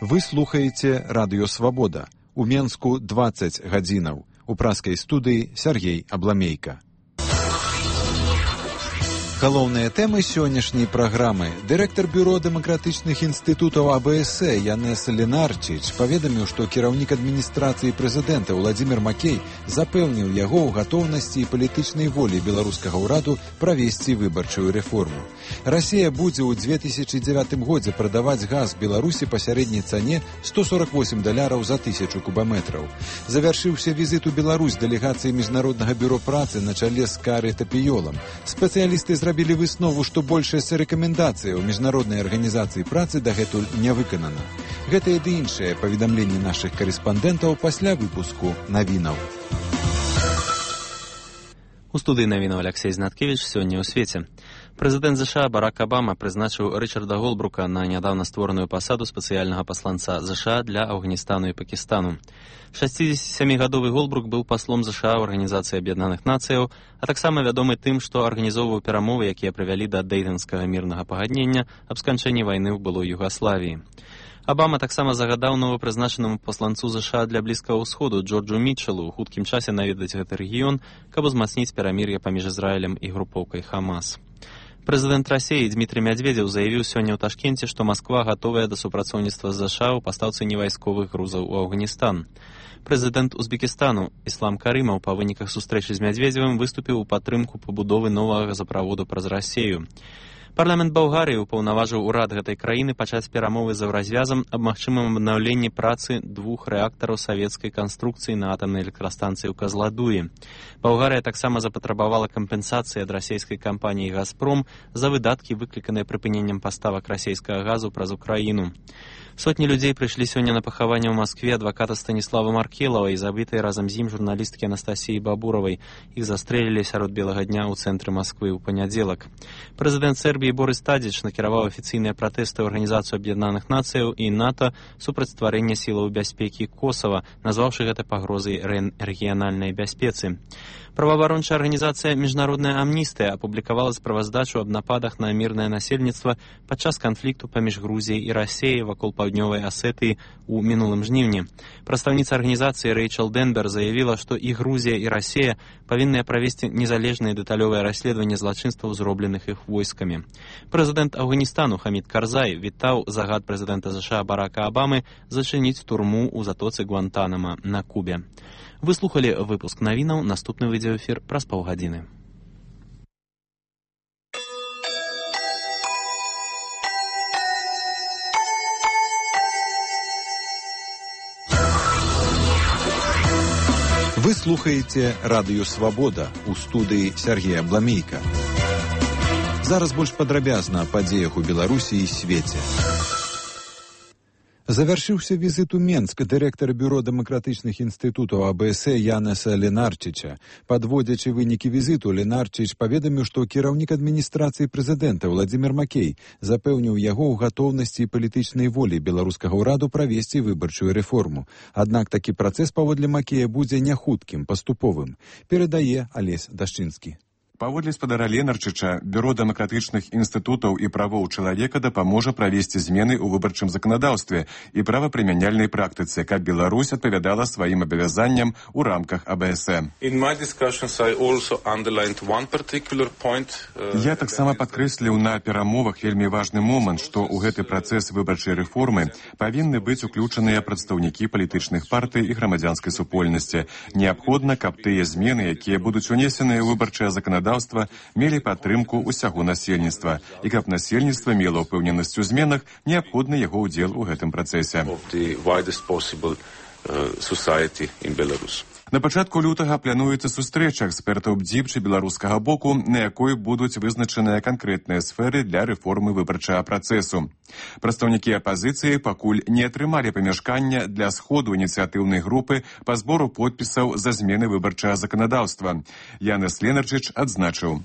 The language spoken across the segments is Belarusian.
Вы слухаеце радыё «Свабода». У Менску 20 гадзінаў. У праскай студыі Сергей Абламейка. Галоўныя тэмы сённяшняй праграмы. Дырэктар бюро дэмакратычных інстытутаў АБС Янес Ленарчич паведаміў, што кіраўнік адміністрацыі прэзідэнта Владзімір Макей запэўніў яго ў гатоўнасці і палітычнай волі беларускага ўраду правесці выбарчую рэформу. Расія будзе ў 2009 годзе прадаваць газ Беларусі па сярэдняй цане $148 за 1000 кубаметраў. Завяршыўся візіт у Беларусь дэлегацыі Міжнароднага бюро працы на чале з Кары Тапіёлам. Спецыялісты зрабілі выснову, што большасць рэкамендацыяў Міжнароднай арганізацыі працы дагэтуль не выканана. Гэтыя ды іншыя паведамленні нашых карэспандэнтаў пасля выпуску навінаў. У студыі навінаў Алексей Знаткевіч сёння ў свеце. Прэзідэнт США Барак Абама прызначыў Рычарда Голбрука на нядаўна створаную пасаду спецыяльнага пасланца США для Афганістану і Пакістану. 67-гадовы Голбрук быў паслом США ў Арганізацыі Аб'яднаных Нацыяў, а таксама вядомы тым, што арганізоўваў перамовы, якія прывялі да дэйтанскага мірнага пагаднення аб сканчэнні вайны ў былой Югаславіі. Абама таксама загадаў новапрызначанаму пасланцу США для Блізкага ўсходу Джорджу Мітчелу ў хуткім часе наведаць гэты рэгіён, каб узмацніць перамір'е паміж Ізраілем і групоўкай Хамас. Прэзідэнт Расіі Дмітрый Мядзведзеў заявіў сёння ў Ташкенце, што Масква гатовая да супрацоўніцтва з США ў пастаўцы невайсковых грузаў у Афганістан. Прэзідэнт Узбекістану Іслам Карымаў па выніках сустрэчы з Мядзведзевым выступіў у падтрымку пабудовы новага газаправоду праз Расію. Парламент Балгарыі ўпаўнаважыў урад гэтай краіны пачаць перамовы з Еўразвязам аб магчымым аднаўленні працы 2 рэактараў савецкай канструкцыі на атамнай электрастанцыі ў Казладуі. Балгарыя таксама запатрабавала кампенсацыі ад расійскай кампаніі «Газпром» за выдаткі, выкліканыя прыпыненнем паставак расійскага газу праз Украіну. Сотні людзей прыйшлі сёння на пахаванне ў Маскве адваката Станіслава Маркелава і забітай разам з ім журналісткі Анастасіі Бабуравай. Іх застрэлілі сярод белага дня ў цэнтры Масквы ў панядзелак. Прэзідэнт Сербіі Борис Тадзіч накіраваў афіцыйныя пратэсты ў Арганізацыю Аб'яднаных Нацыяў і НАТО супраць стварэння сілаў бяспекі Косава, назваўшы гэта пагрозай рэгіянальнай бяспецы. Праваабарончая арганізацыя «Міжнародная амністыя» апублікавала справаздачу аб нападах на мірнае насельніцтва падчас канфлікту паміж Грузіяй і Расіяй вакол паўднёвай Асетыі ў мінулым жніўні. Прадстаўніца арганізацыі Рэйчел Денбер заявіла, што і Грузія, і Расія павінныя правесці незалежнае дэталёвае расследаванне злачынстваў, зробленых іх войскамі. Прэзідэнт Афганістану Хамід Карзай вітаў загад прэзідэнта США Барака Абамы зачыніць турму ў затоцы Гуантанама на Кубе. Вы слухали выпуск навінаў, наступны відеоэфір праз паўгадзіны. Вы слухаеце радыё «Свабода» у студыі Сергея Абламейка. Зараз больш падрабязна о падзеях у Беларусі і свеце. Завяршыўся візіт у Менск дырэктара бюро дэмакратычных інстытутаў АБС Янеса Ленарчича. Падводзячы вынікі візіту, Ленарчич паведаміў, што кіраўнік адміністрацыі прэзідэнта Владзімір Макей запэўніў яго ў гатоўнасці і палітычнай волі беларускага ўраду правесці выбарчую рэформу. Аднак такі працэс паводле Макея будзе няхуткім, паступовым, перадае Алесь Дашчынскі. Паводле спадара Ленарчыча, Бюро дэмакратычных інстытутаў і правоў чалавека дапаможа правесці змены ў выбарчым заканадаўстве і правапрымяняльнай практыцы, каб Беларусь адпавядала сваім абавязанням у рамках АБС. Я таксама падкрэсліў на перамовах вельмі важны момант, што ў гэты працэс выбарчай рэформы павінны быць уключаныя прадстаўнікі палітычных партый і грамадзянскай супольнасці. Неабходна, каб тыя змены, якія будуць унесеныя ў выбарчае заканадаўства, мелі падтрымку ўсяго насельніцтва, і каб насельніцтва мела ўпэўненасць у зменах, неабходны яго ўдзел у гэтым працэсе. На пачатку лютага плануецца сустрэча экспертаў БДЗІП беларускага боку, на якой будуць вызначаныя канкрэтныя сферы для рэформы выбарчага працэсу. Прадстаўнікі апазіцыі пакуль не атрымалі памяшкання для сходу ініцыятыўнай групы па збору подпісаў за змены выбарчага заканадаўства. Янес Ленарчич адзначыў: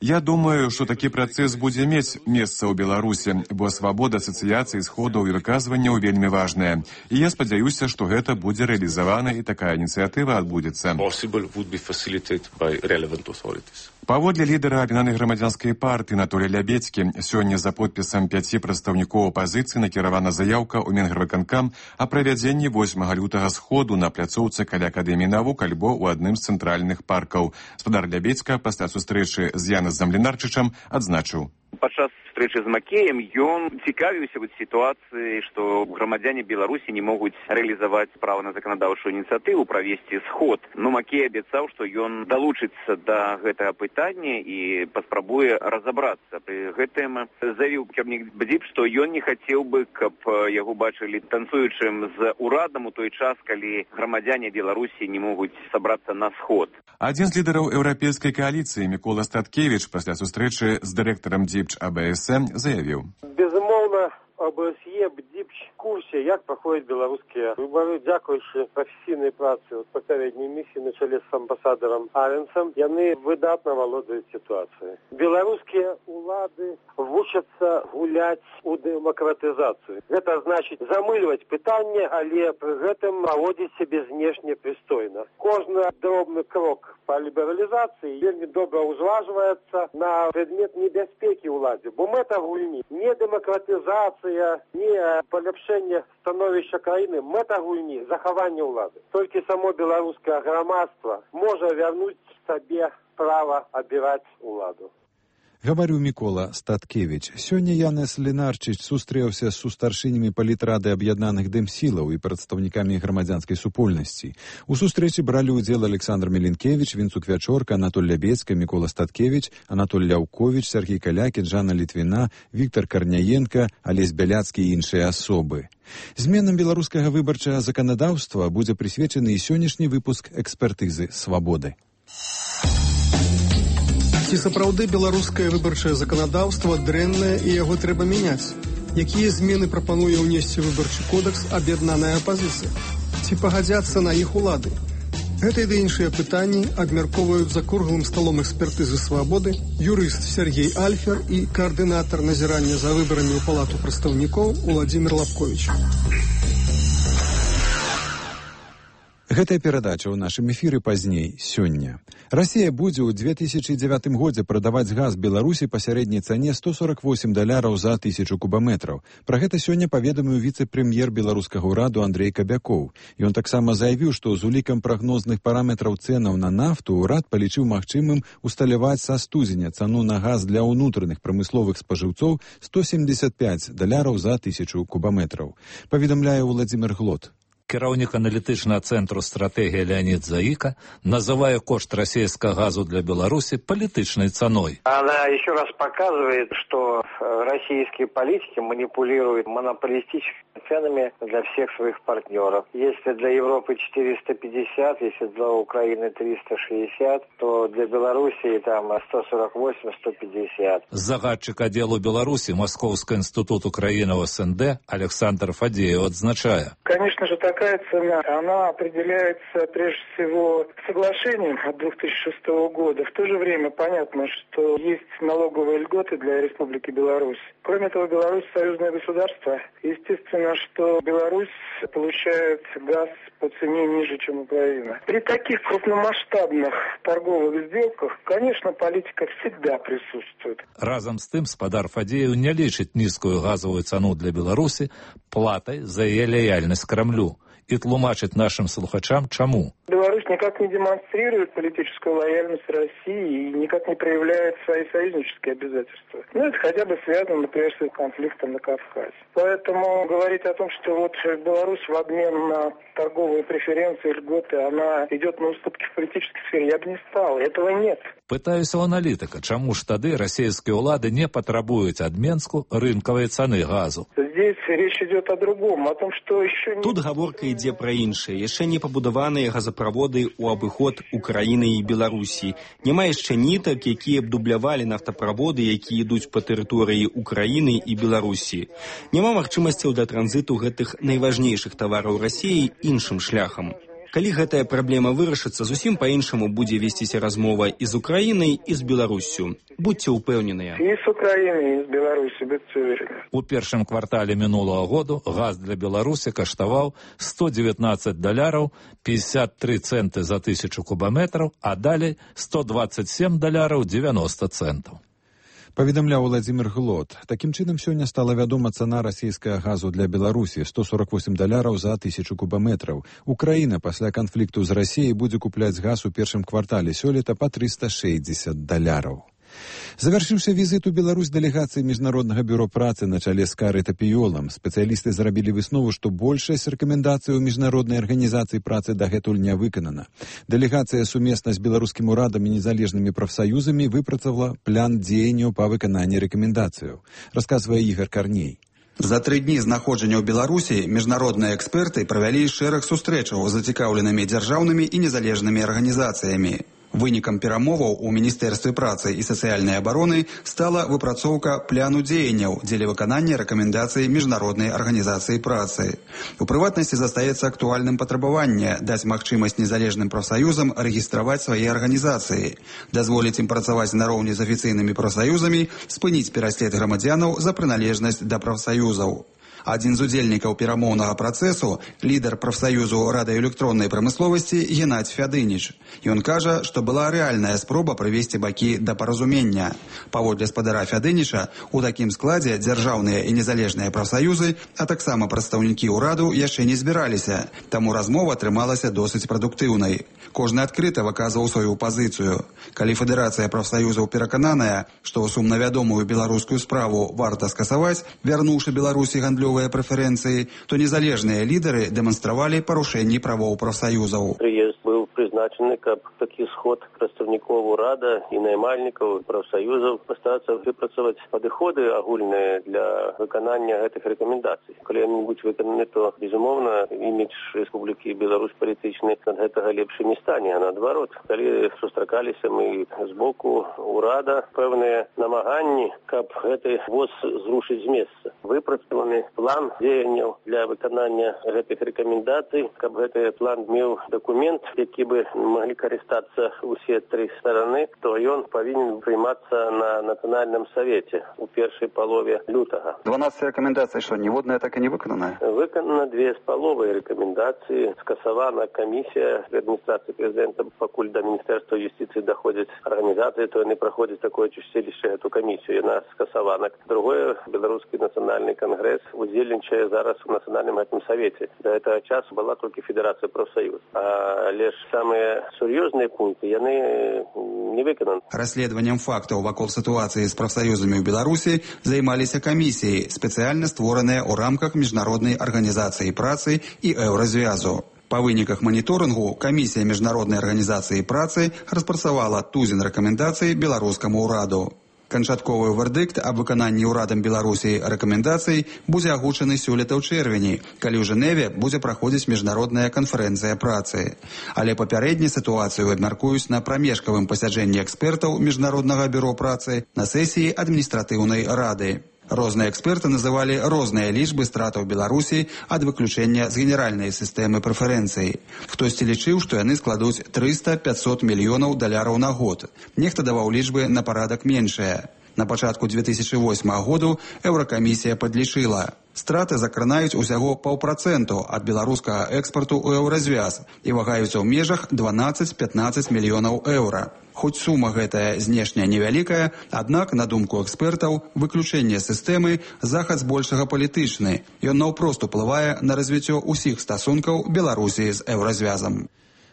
Я думаю, што такі працэс будзе мець месца ў Беларусі, бо свабода асацыяцыі сходаў і выказванняў вельмі важная. І я спадзяюся, што гэта будзе рэалізавана і такая ініцыятыва адбудзецца. Паводле лідара аб'яднанай грамадзянскай партыі Анатолія Лябедзькі, сёння за подпісам 5 прадстаўнікоў апазіцыі накіравана заяўка ў Менгарвыканкам о правядзенні 8 лютага сходу на пляцоўцы каля Акадэміі навук альбо ў адным з цэнтральных паркаў. Спадар Лябедзька пасля сустрэчы з Янасам Лінарчычам адзначыў. Падчас сустрэчы з Макеем ён цікавіўся сітуацыі, што грамадзяне Беларусі не могуць рэалізаваць права на заканадаўчую ініцыятыву правесці сход. Но Макей абяцаў, што ён далучыцца да гэтага пытання і паспрабуе разабрацца. Пры гэтым заявіў кіраўнік БДИП, што ён не хацеў бы, каб яго бачылі танцуючым з урадам у той час, калі грамадзяне Беларусі не могуць сабрацца на сход. Адзін з лідараў еўрапейскай кааліцыі Мікола Статкевіч пасля сустрэчы з дырэктарам ДЗІПЧ АБС заявіў. Безумоўна, АБСЕ, БДИПЧ в курсе, як проходят белорусские выборы. Дякуючи професійній праці попередньої місії на чолі з амбасадором Аренсом, яны выдатно володують ситуацією. Білоруські улади вчаться гуляти у демократизацію. Це значить замилювати питання, але при гэтым поводити себе знешне пристойно. Кожен дробний крок по лібералізації вельми добре узважується на предмет небезпеки уладі. Бо мета гульні не демократизація, не полепшення становища країни, мета гульні – заховання влади. Тільки само білоруське громадство може вернути собі право обирати владу. Гаварыў Мікола Статкевіч. Сёння Янас Лінарчыч сустрэўся з сустаршынямі палітрады аб'яднаных дэмсілаў і прадстаўнікамі грамадзянскай супольнасці. У сустрэчы бралі ўдзел Александр Меленкевіч, Вінцук Вячорка, Анатоль Лябедзька, Мікола Статкевіч, Анатоль Ляўковіч, Сергій Калякін, Жанна Літвіна, Віктор Карняенка, Алесь Бяляцкі і іншыя асобы. Зменам беларускага выбарчага заканадаўства будзе прысвечаны і сённяшні выпуск экспертызы «Свабоды». Ці сапраўды беларускае выбарчае заканадаўства дрэннае і яго трэба мяняць? Якія змены прапануе ўнесці выбарчы кодекс аб'яднаная апазіцыя? Ці пагадзяцца на іх улады? Гэта і іншыя пытанні абмяркоўваюць за круглым сталом экспертызы «Свабоды» юрыст Сергей Альфер і каардынатар назірання за выбарамі ў палату прадстаўнікоў Уладзімір Лапковіч. Гэтая перадача ў нашым эфіры пазней, сёння. Расія будзе ў 2009 годзе прадаваць газ Беларусі па сярэдняй цане $148 за 1000 кубаметраў. Пра гэта сёння паведаміў віцэ-прэм'ер беларускага ўраду Андрэй Кабякоў. Ён таксама заявіў, што з улікам прагнозных параметраў цэнаў на нафту ўрад палічыў магчымым усталяваць са студзеня цану на газ для ўнутраных прамысловых спажыўцоў $175 за 1000 кубаметраў. Паведамляе Владзімір Глот. Кіраўнік аналітычнага цэнтру «Стратегія» Леонид Заика называя кошт российского газу для Беларуси политичной ценой. Она еще раз показывает, что российские политики манипулируют монополистическими ценами для всех своих партнеров. Если для Европы 450, если для Украины 360, то для Белоруссии там 148-150. Загадчик отделу Беларуси Московский институт Украины в СНД Александр Фадеев отзначая. Конечно же, такая цена, она определяется прежде всего соглашением от 2006 года. В то же время понятно, что есть налоговые льготы для Республики Беларусь. Кроме того, Беларусь союзное государство. Естественно, что Беларусь получает газ по цене ниже, чем Украина. При таких крупномасштабных торговых сделках, конечно, политика всегда присутствует. Разом з тим, спадар Фадеев не лічить низкую газовую цену для Беларуси платой за ее лояльность Кремлю. И тлумачить нашим слухачам, чему. Беларусь никак не демонстрирует политическую лояльность России и никак не проявляет свои союзнические обязательства. Ну, это хотя бы связано, например, с конфликтом на Кавказе. Поэтому говорить о том, что вот Беларусь в обмен на торговые преференции, льготы, она идет на уступки в политической сфере, я бы не стал. Этого нет. Пытаюся у аналітика, чому ж тады расійскія ўлады не патрабуюць ад Менску рынкавай цаны газу. Здесь речь идет о другом, о том, что еще не... Тут гаворка ідзе пра іншае. Яшчэ не пабудаваныя газаправоды ў абыход Украіны і Беларусі. Няма яшчэ нітак, якія б дублявалі нафтаправоды, якія ідуць па тэрыторыі Украіны і Беларусі. Няма магчымасцяў для транзіту гэтых найважнейшых тавараў Расіі іншым шляхам. Калі гэтая праблема вырашыцца, зусім па-іншаму будзе весціся размова і з Украінай, і з Беларуссю. Будьце ўпэўненыя. І з Украінай, і з Беларусі, будьце уверены. У першым квартале мінулого году газ для Беларусі каштаваў $119, 53 центы за 1000 кубометраў, а далей $127, 90 центаў. Паведамляў Владзімір Глот. Такім чынам, сёння стала вядома цана расійскага газу для Беларусі $148 за 1000 кубометраў. Украіна пасля канфлікту з Расіяй будзе купляць газ у першым квартале сёлета па $360. Завяршыўся візіт у Беларусь дэлегацыі Міжнароднага бюро працы на чале з Карай Тапіёлам. Спецыялісты зрабілі выснову, што большасць рэкамендацый у Міжнароднай арганізацыі працы дагэтуль не выканана. Дэлегацыя сумесна з беларускім урадам і незалежнымі прафсаюзамі выпрацавала план дзеянняў па выкананні рэкамендацыяў, расказвае Ігор Карней. За 3 дні знаходжання ў Беларусі міжнародныя эксперты правялі шэраг сустрэчаў з зацікаўленымі дзяржаўнымі і незалежнымі арганізацыямі. Вынікам перамоваў у Міністэрстве працы і сацыяльнай абароны стала выпрацоўка пляну дзеянняў дзеля выканання рэкамендацый Міжнароднай арганізацыі працы. У прыватнасці застаецца актуальным патрабаванне даць магчымасць незалежным прафсаюзам рэгістраваць свае арганізацыі, дазволіць ім працаваць нароўні з афіцыйнымі прафсаюзамі, спыніць пераслед грамадзянаў за прыналежнасць да прафсаюзаў. Адзін з удзельнікаў перамоўнага працэсу, лідар прафсаюзу радыёэлектроннай прамысловасці Геннадзь Фядыніч. Ён кажа, што была рэальная спроба прывесці бакі да паразумення. Паводле спадара Фядыніча, у такім складзе дзяржаўныя і незалежныя прафсаюзы, а таксама прадстаўнікі ўраду яшчэ не збіраліся, таму размова атрымалася досыць прадуктыўнай. Кожны адкрыта выказваў сваю пазіцыю. Калі Федэрацыя прафсаюзаў перакананая, што сумнавядомую беларускую справу варта скасаваць, вярнуўшы Беларусі гандлёвыя прэферэнцыі, то незалежныя лідары дэманстравалі парушэнні правоў прафсаюзаў. Прыезд быў прызначаны, каб такі сход прадстаўнікоў урада і наймальнікаў прафсаюзаў пастарацца выпрацаваць падыходы агульныя для выканання гэтых рэкамендацый. Калі яны будуць выкананы, то, безумоўна, імідж Рэспублікі Беларусь палітычны ад гэтага лепшы не стане, а наадварот. Калі сустракаліся мы з боку урада пэўныя намаганні, каб гэты воз зрушыць з месца. Выпрацаваны план дзеянняў для выканання гэтых рэкамендацый, каб гэты план меў дакумент, які бы маглі карыстацца ўсе 3 стараны, то ён павінен прыймацца на Нацыянальным савеце у першай палове лютага. 12 рэкамендацый, што ніводная так і не выканана? Выканана 2,5 рэкамендацыі. Скасавана камісія адміністрацыі прэзідэнта, пакуль да Міністэрства юстыцыі даходзяць арганізацыі, то яны праходзяць такое чысцілішча эту камісію. Яна скасавана. Другое, Беларускі нацыянальны кангрэс удзельнічае зараз у Нацыянальным гэтым савеце. Да гэтага часу была толькі Федэрацыя прафсаюз. Але ж самыя сур'ёзныя пункты яны не выкананы. Расследаваннем фактаў вакол сітуацыі з прафсаюзамі ў Беларусі займаліся камісіі, спецыяльна створаныя ў рамках Міжнароднай арганізацыі працы і Еўразвязу. Па выніках маніторынгу камісія Міжнароднай арганізацыі працы распрацавала тузін рэкамендацый беларускаму ўраду. Канчатковы вердыкт аб выкананні ўрадам Беларусі рэкамендацый будзе агучаны сёлета ў чэрвені, калі ў Жэневе будзе праходзіць міжнародная канферэнцыя працы. Але папярэдне сітуацыю абмяркуюць на прамежкавым пасяджэнні экспертаў Міжнароднага бюро працы на сесіі адміністратыўнай рады. Розныя эксперты называлі розныя лічбы стратаў Беларусі ад выключэння з генеральнай сістэмы прэферэнцый. Хтосьці лічыў, што яны складуць 300-500 мільёнаў даляраў на год. Нехта даваў лічбы на парадак меншыя. На пачатку 2008 году Еўракамісія падлічыла. Страты закранаюць усяго 0,5% ад беларускага экспарту ў Еўразвяз і вагаюцца ў межах 12-15 мільёнаў еўра. Хоць сума гэтая знешня невялікая, аднак, на думку экспертаў, выключэнне сістэмы захад збольшага палітычны. Ён наўпрост уплывае на развіццё ўсіх стасункаў Беларусі з Еўразвязам.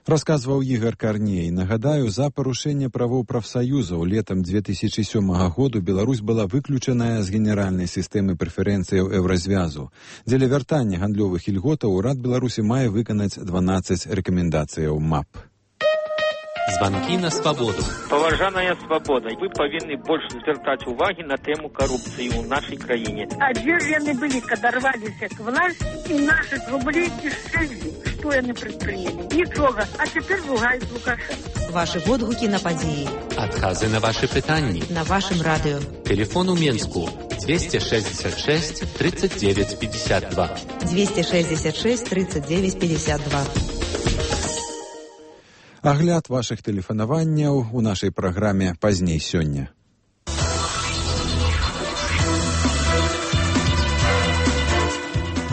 Расказваў Ігор Карней. Нагадаю, за парушэнне правоў прафсаюзаў летам 2007 году Беларусь была выключаная з генеральнай сістэмы прэферэнцыяў Еўразвязу. Дзеля вяртання гандлёвых ільготаў урад Беларусі мае выканаць 12 рэкамендацыяў МАП. Званкі на свабоду. Паважаная свабода, вы павінны больш звяртаць увагі на тэму карупцыі ў нашай краіне. А дзе ж яны былі, калі рваліся к власці і нашых рублей кішэлі? Што яны прадпрынялі? Нічога, а цяпер ругаюць Лукашенка. Вашы водгукі на падзеі. Адказы на вашы пытанні. На вашым радыё. Телефон у Менску 266 39 52. 266 39 52. Агляд вашых тэлефанаванняў у нашай праграме пазней сёння.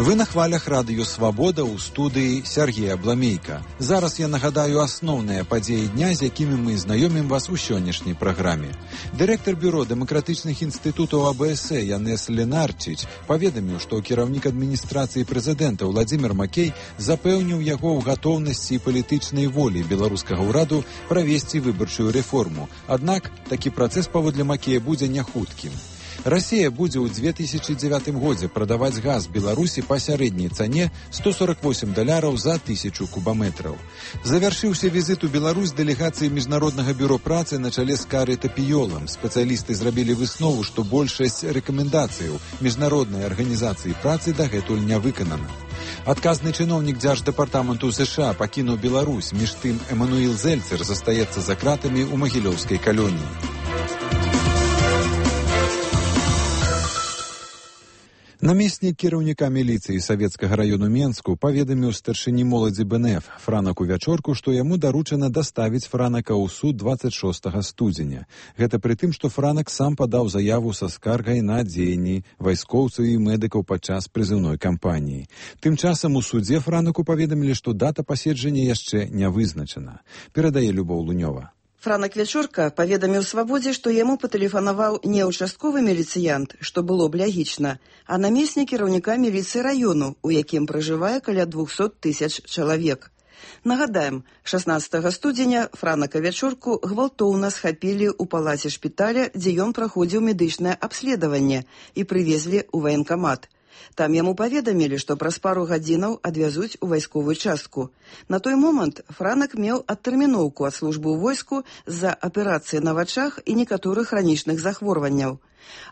Вы на хвалях радыё «Свабода» ў студыі Сергея Бламейка. Зараз я нагадаю асноўныя падзеі дня, з якімі мы знаёмім вас у сённяшняй праграме. Дырэктар бюро дэмакратычных інстытутаў АБС Янес Ленарчич паведаміў, што кіраўнік адміністрацыі прэзідэнта Уладзімір Макей запэўніў яго ў гатоўнасці і палітычнай волі беларускага ўраду правесці выбарчую рэформу. Аднак такі працэс паводле Макея будзе няхуткім. Расія будзе ў 2009 годзе прадаваць газ Беларусі па сярэдняй цане $148 за 1000 кубаметраў. Завяршыўся візіт у Беларусь дэлегацыі Міжнароднага бюро працы на чале з Карай Тапіёлам. Спецыялісты зрабілі выснову, што большасць рэкамендацыяў Міжнароднай арганізацыі працы дагэтуль не выканана. Адказны чыноўнік Дзярждэпартаменту США пакінуў Беларусь, між тым Эмануіл Зельцер застаецца за кратамі ў магілёўскай калоніі. Намеснік кіраўніка міліцыі савецкага раёну Менску паведаміў старшыні моладзі БНФ Франаку Вячорку, што яму даручана даставіць Франака ў суд 26 студзеня. Гэта пры тым, што Франак сам падаў заяву са скаргай на дзеянні вайскоўцаў і медыкаў падчас прызыўной кампаніі. Тым часам у судзе Франаку паведамілі, што дата паседжання яшчэ не вызначана. Перадае Любоў Лунёва. Франак Вячорка паведаміў «Свабодзе», што яму патэлефанаваў не ўчастковы міліцыянт, што было б лягічна, а намеснік кіраўніка міліцыі раёну, у якім пражывае каля 200 000 чалавек. Нагадаем, 16 студзеня Франака Вячорку гвалтоўна схапілі ў палаце шпіталя, дзе ён праходзіў медычнае абследаванне, і прывезлі ў ваенкамат. Там яму паведамілі, што праз пару гадзінаў адвязуць у вайсковую частку. На той момант Франак меў адтэрміноўку ад службы ў войску з-за аперацыі на вачах і некаторых хранічных захворванняў.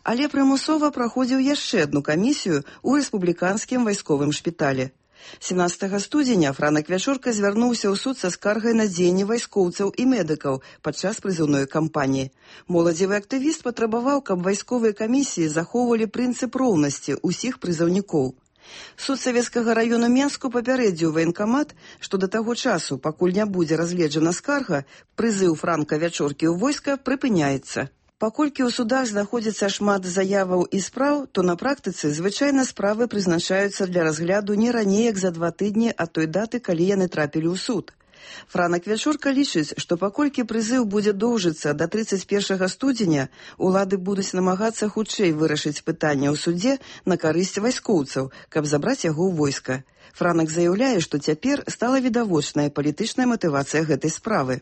Але прымусова праходзіў яшчэ адну камісію ў рэспубліканскім вайсковым шпіталі. 17 студзеня Франак Вячорка звярнуўся ў суд са скаргай на дзеянні вайскоўцаў і медыкаў падчас прызыўной кампаніі. Моладзевы актывіст патрабаваў, каб вайсковыя камісіі захоўвалі прынцып роўнасці ўсіх прызыўнікоў. Суд савецкага раёну Менску папярэдзіў ваенкамат, што да таго часу, пакуль не будзе разгледжана скарга, прызыў Франка Вячоркі ў войска прыпыняецца. Паколькі ў судах знаходзіцца шмат заяваў і спраў, то на практыцы звычайна справы прызначаюцца для разгляду не раней, як за 2 тыдні ад той даты, калі яны трапілі ў суд. Франак Вячорка лічыць, што паколькі прызыў будзе доўжыцца да 31 студзеня, улады будуць намагацца хутчэй вырашыць пытанне ў судзе на карысць вайскоўцаў, каб забраць яго ў войска. Франак заяўляе, што цяпер стала відавочная палітычная матывацыя гэтай справы.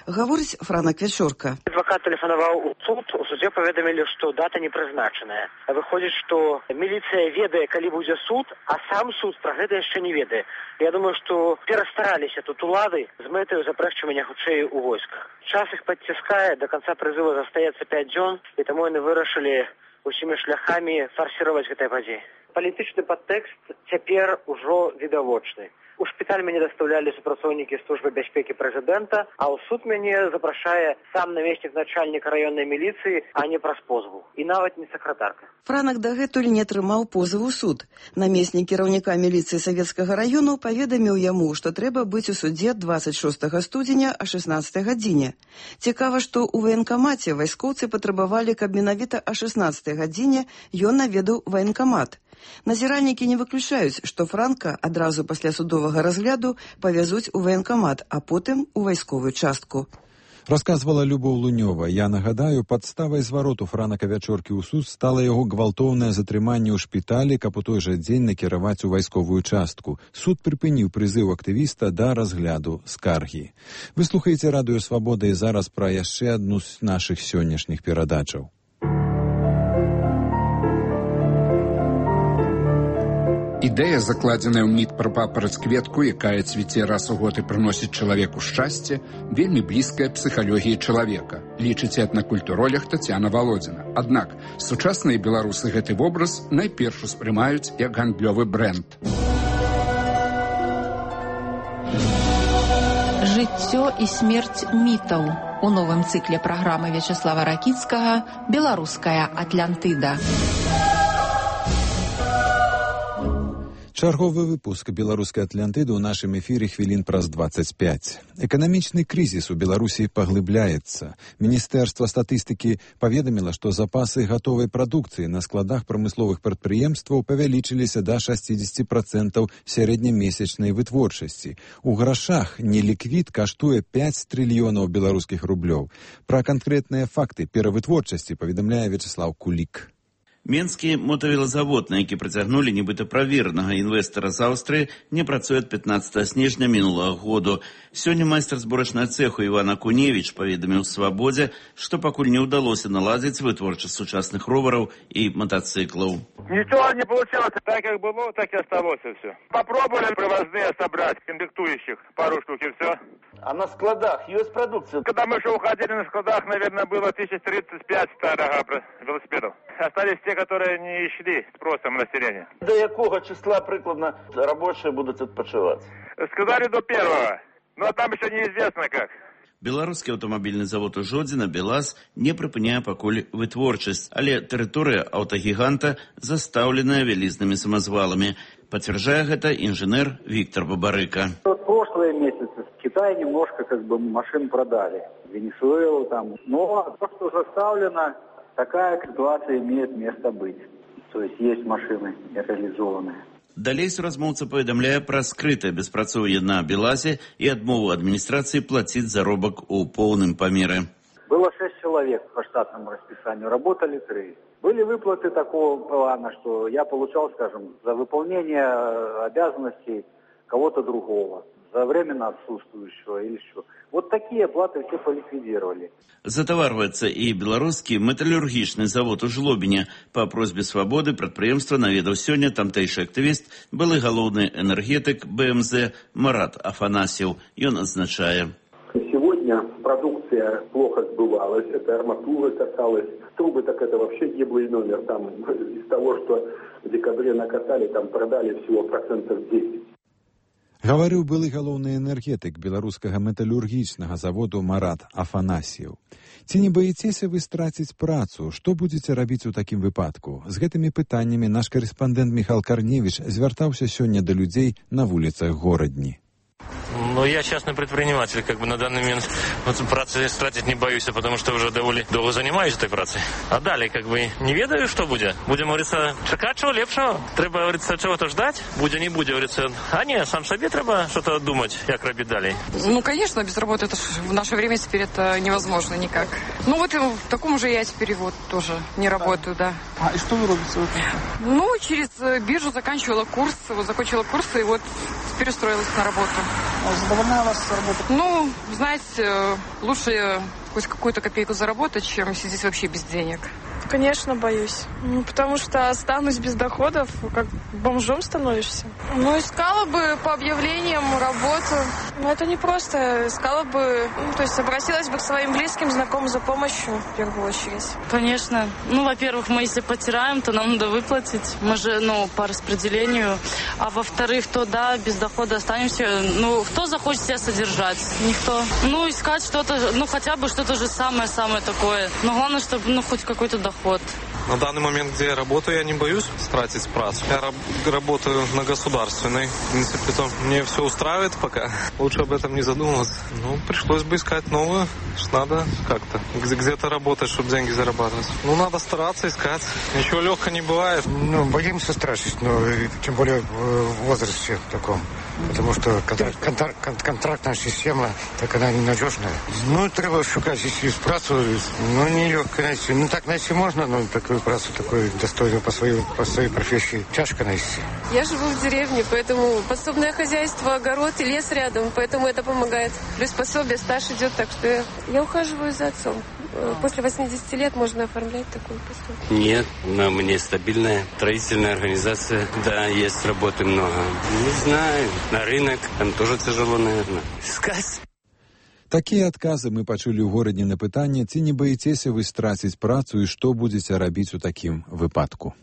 Гаворыць Франак Вячорка. Адвакат тэлефанаваў у суд, у судзе паведамілі, што дата не прызначаная. Выходзіць, што міліцыя ведае, калі будзе суд, а сам суд пра гэта яшчэ не ведае. Я думаю, што перастараліся тут улады з мэтаю запрэшчвання хутчэй у войсках. Час іх падціскае, да канца прызыва застаецца 5 дзён, і таму яны вырашылі усімі шляхамі фарсіраваць гэтыя падзеі. Палітычны падтэкст цяпер ужо відавочны. У шпіталь мяне дастаўлялі супрацоўнікі службы бяспекі прэзідэнта, а ў суд мяне запрашае сам намеснік начальніка раённай міліцыі, а не праз позву. І нават не сакратарка. Франак дагэтуль не трымаў позыв у суд. Намеснік кіраўніка міліцыі савецкага раёну паведаміў яму, што трэба быць у судзе 26 студзеня о 16 гадзіне. Цікава, што ў ваенкамаце вайскоўцы патрабавалі, каб менавіта о 16 гадзіне ён наведаў ваенкамат. Назіральнікі не выключаюць, што Франка адразу пасля судовага разгляду павязуць у ваенкамат, а потым у вайсковую частку. Расказвала Любоў Лунёва. Я нагадаю, падставай звароту Франака Вячоркі ў суд стала яго гвалтоўнае затрыманне ў шпіталі, каб у той жа дзень накіраваць у вайсковую частку. Суд прыпыніў прызыў актывіста да разгляду скаргі. Вы слухаеце радыё «Свабода» і зараз пра яшчэ адну з нашых сённяшніх перадачаў. Ідэя, закладзеная ў міт пра папараць-кветку, якая цвіце раз у год і прыносіць чалавеку шчасце, вельмі блізкая псіхалогіі чалавека, лічыць этнакультуролог Тацяна Валодзіна. Аднак сучасныя беларусы гэты вобраз найперш успрымаюць як гандлёвы брэнд. Жыццё і смерць мітаў у новым цыкле праграмы Вячеслава Ракіцкага «Беларуская Атлантыда». Чарговы выпуск беларускай Атлантыды ў нашым эфіры хвілін праз 25. Эканамічны крызіс у Беларусі паглыбляецца. Міністэрства статыстыкі паведаміла, што запасы гатовай прадукцыі на складах прамысловых прадпрыемстваў павялічыліся да 60% сярэднямесячнай вытворчасці. У грашах неліквід каштуе 5 трыльёнаў беларускіх рублёў. Пра канкрэтныя факты перавытворчасці паведамляе Вячеслав Кулік. Менскі мотавелазавод, на які прыцягнулі нібыта праверанага інвестара з Аўстрыі, не працуе ад 15 снежня мінулага году. Сёння майстар зборачнага цэху Іван Акуневіч паведаміў «Свабодзе», што пакуль не ўдалося наладзіць вытворчасць сучасных ровараў і мотоциклаў. Ничего не получилось. Так как было, так и осталось все. Попробовали привозные собрать, комплектующих, пару штук и все. А на складах есть продукция? Когда мы еще уходили на складах, наверное, было 1035 старых велосипедов. Остались те, которые не шли спросом населения. До якого числа прикладно рабочие будут отпочивать? Сказали до 1-го, но там еще неизвестно как. Беларускі аўтамабільны завод у Жодзіна «БелАЗ» не прыпыняе пакуль вытворчасць, але тэрыторыя аўтагіганта застаўленая вялізнымі самазваламі. Пацвярджае гэта інжынер Виктор Бабарыка. Прошлые месяцы в Китае немножко машин продали. Венесуэлу там. Но то, что заставлено, такая ситуация имеет место быть. То есть машины реализованные. Далей суразмоўца паведамляе пра скрытае беспрацоўе на «БелАЗе» і адмову адміністрацыі плаціць заробак у поўным памеры. Было 6 человек по штатному расписанию, работали 3. Были выплаты такого плана, что я получал, скажем, за выполнение обязанностей кого-то другого, за временно отсутствующего или что. Вот такие платы все поликвидировали. Затаварваецца і беларускі металлургічны завод у Жлобіне. Па просьбе «Свабоды» прадпрыемства наведаў сёння тамтэйшы актывіст, былы галоўны энергетык БМЗ Марат Афанасьев. Ён адзначае. Сегодня продукция плохо сбывалась, это арматура касалась, трубы так это вообще гиблый номер. Там из того, что в декабре накатали, там продали всего 10%. Гаварыў былы галоўны энергетык беларускага металлургічнага заводу Марат Афанасьев. Ці не баіцеся вы страціць працу? Што будзеце рабіць у такім выпадку? З гэтымі пытаннямі наш карэспандэнт Михаил Корневич звяртаўся сёння да людзей на вуліцах горадні. Ну, я частный предприниматель, на данный момент працы стратить не боюсь, потому что уже довольно долго занимаюсь этой працей. А далее, не ведаю, что будет. Будем, говорится, чекать чего лепшего. Треба, говорится, чего-то ждать. Будет, не будет, говорится. А не, сам себе треба что-то думать, как робить далее. Ну, конечно, без работы это в наше время теперь это невозможно никак. Ну, вот в таком же я теперь тоже не работаю, да. А и что вы робите? Ну, через биржу заканчивала курс, закончила курсы и вот теперь устроилась на работу. Задовольняет вас работа? Ну, знаете, лучше хоть какую-то копейку заработать, чем сидеть вообще без денег. Конечно, боюсь. Потому что останусь без доходов, как бомжом становишься. Ну, искала бы по объявлениям работу. Но это не просто. Искала бы, то есть обратилась бы к своим близким, знакомым за помощью, в первую очередь. Конечно. Ну, во-первых, мы если потираем, то нам надо выплатить. Мы же, по распределению. А во-вторых, то да, без дохода останемся. Ну, кто захочет себя содержать? Никто. Ну, искать что-то, хотя бы что-то же самое-самое такое. Но главное, чтобы, хоть какой-то доход. На данный момент, где я работаю, я не боюсь стратить працу. Я работаю на государственной. В принципе, то мне все устраивает пока. Лучше об этом не задумываться. Пришлось бы искать новую. Надо как-то где-то работать, чтобы деньги зарабатывать. Надо стараться искать. Ничего легко не бывает. Боимся стратить, тем более в возрасте таком. Потому что контрактная система, так она ненадежная. Треба шукать здесь працу, нелегко найти. Так найти можно, но такую працу, такую достойную по своей профессии тяжко найти. Я живу в деревне, поэтому подсобное хозяйство, огород и лес рядом, поэтому это помогает. Плюс пособие, стаж идет, так что я ухаживаю за отцом. После 80 лет можно оформлять такую пособие. Нет, но мне стабильная строительная организация. Да, есть работы много. Не знаю, на рынок там тоже тяжело, наверное. Искать. Такія адказы мы пачулі ў горадні на пытанне, ці не баіцеся вы страціць працу і што будзеце рабіць у такім выпадку.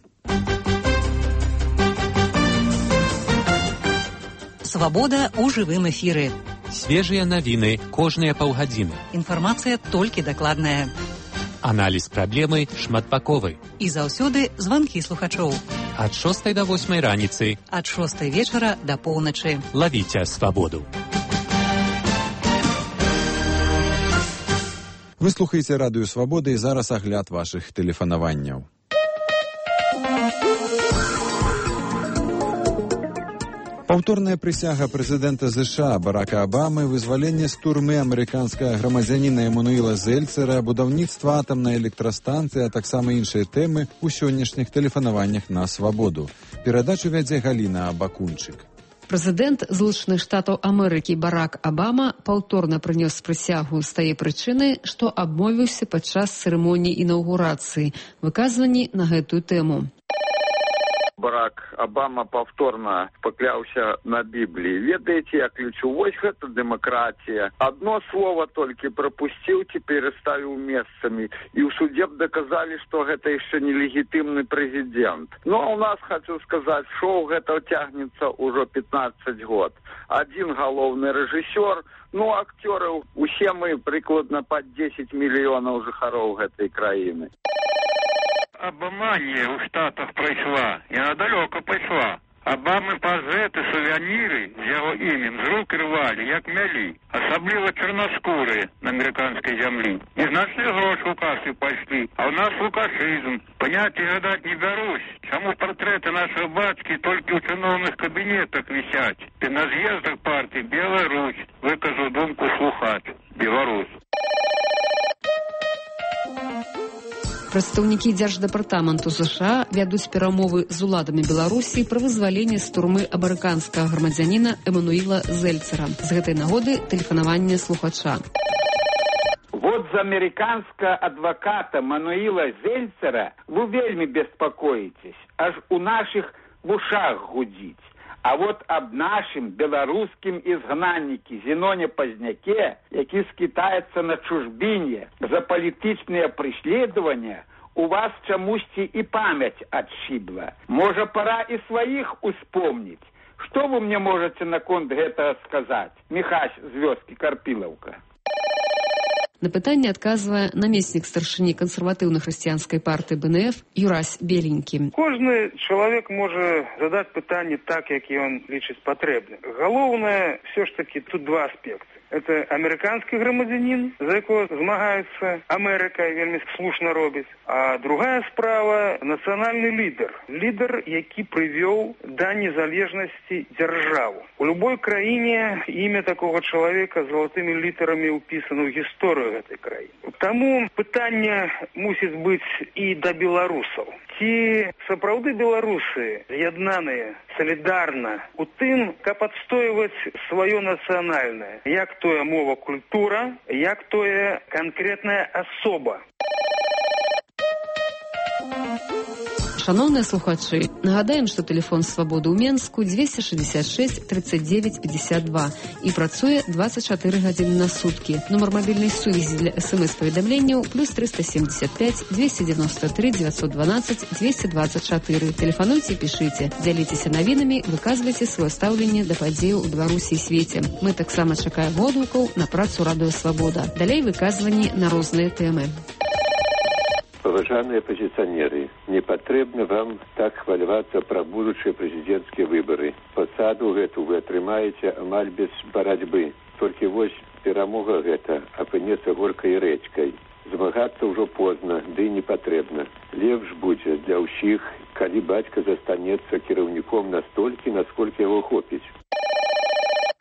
Свабода ў жывым эфіры. Свежыя навіны кожныя паўгадзіны. Інфармацыя толькі дакладная. Аналіз праблемы шматбаковы. І заўсёды званкі слухачоў. Ад 6 до 8 раніцы. Ад 6 вечара да поўначы. Лавіце свабоду. Вы слухаеце радыё Свабода і зараз агляд вашых тэлефанаванняў. Паўторная прысяга прэзідэнта США Барака Абамы, вызваленне з турмы амерыканскага грамадзяніна Эмануіла Зельцера, будаўніцтва атамнай электрастанцыі, а таксама іншыя тэмы ў сённяшніх тэлефанаваннях на Свабоду. Перадачу вядзе Галіна Абакунчык. Прэзідэнт Злучаных Штатаў Амерыкі Барак Абама паўторна прынёс прысягу з тае прычыны, што абмовіўся падчас цырымоніі інаўгурацыі. Выказванні на гэтую тэму. Барак Абама паўторна пакляўся на Бібліі. Ведаеце, я ключу, вось гэта дэмакратія. Адно слова толькі прапусціў, ці пераставіў месцамі. І ў судзе б даказалі, што гэта яшчэ нелегітымны прэзідэнт. Ну, а ў нас, хочу сказаць, шоу гэта цягнецца ўжо 15 год. Адзін галоўны рэжысёр, ну, акцёры, усе мы прыкладна пад 10 мільёнаў жыхароў гэтай краіны. Абаманія ў Штатах прайшла, яна далёка пайшла. Абамы пазеты, сувеніры з яго імем з рук рвалі, як мялі, асабліва чарнаскурыя на амерыканскай зямлі. Незначныя грошы ў касы пайшлі, а ў нас лукашызм. Паняцце гадаць не бярусь, чаму партрэты нашых бацькі толькі ў чыноўных кабінетах вісяць. Ты на з'ездах партыі Беларусь, выказаў думку слухач, Беларусь. Прадстаўнікі Дзярждэпартаменту США вядуць перамовы з уладамі Беларусі пра вызваленне з турмы амерыканскага грамадзяніна Эмануіла Зельцера. З гэтай нагоды тэлефанаванне слухача. Вот за американского адвоката Мануила Зельцера вы вельми беспокоитесь, аж у наших в ушах гудить. А вот об нашим белорусским изгнаннике Зеноне Поздняке, які скитается на чужбине за политичные преследования, у вас чамусьці и память отшибла. Может, пора и своих успомнить. Что вы мне можете наконт гэтага сказать? Михась з вёскі Карпілаўка. На пытанне адказвае намеснік старшыні кансерватыўна-хрысціянскай партыі БНФ Юрась Беленькі. Кожны чалавек можа задаць пытанне так, як ён лічыць патрэбным. Галоўнае, все ж таки, тут два аспекты. Это американский громадянин, за якого змагается Америка, вельми слушно робить. А другая справа – национальный лидер. Лидер, який привел до незалежности державу. У любой краине имя такого человека золотыми литерами уписано в историю этой краины. Тому питання мусить быть и до белорусов. Ці сапраўды беларусы з'яднаныя солідарна у тым, каб адстойваць сваё нацыянальнае, як тое мова культура, як тое канкрэтная асоба. Шановныя слухачы, нагадаем, што тэлефон Свабоды ў Менску 266 39 52 і працуе 24 гадзіны на суткі. Нумар мабільнай сувязі для СМС-паведамленняў плюс 375 293 912 224. Тэлефануйце, пішыце, дзяліцеся навінамі, выказвайце сваё стаўленне да падзеяў у Беларусі і свеце. Мы таксама чакаем водгукаў на працу радыё Свабода. Далей выказванні на розныя тэмы. Паважаныя апозіцыянеры, не патрэбна вам так хвалявацца пра будучыя прэзідэнцкія выбары. Пасаду гэту вы атрымаеце амаль без барацьбы. Толькі вось перамога гэта апынецца горкай рэчкай. Змагацца ўжо позна, ды не патрэбна. Лепш будзе для ўсіх, калі бацька застанецца кіраўніком настолькі, насколькі яго хопіць.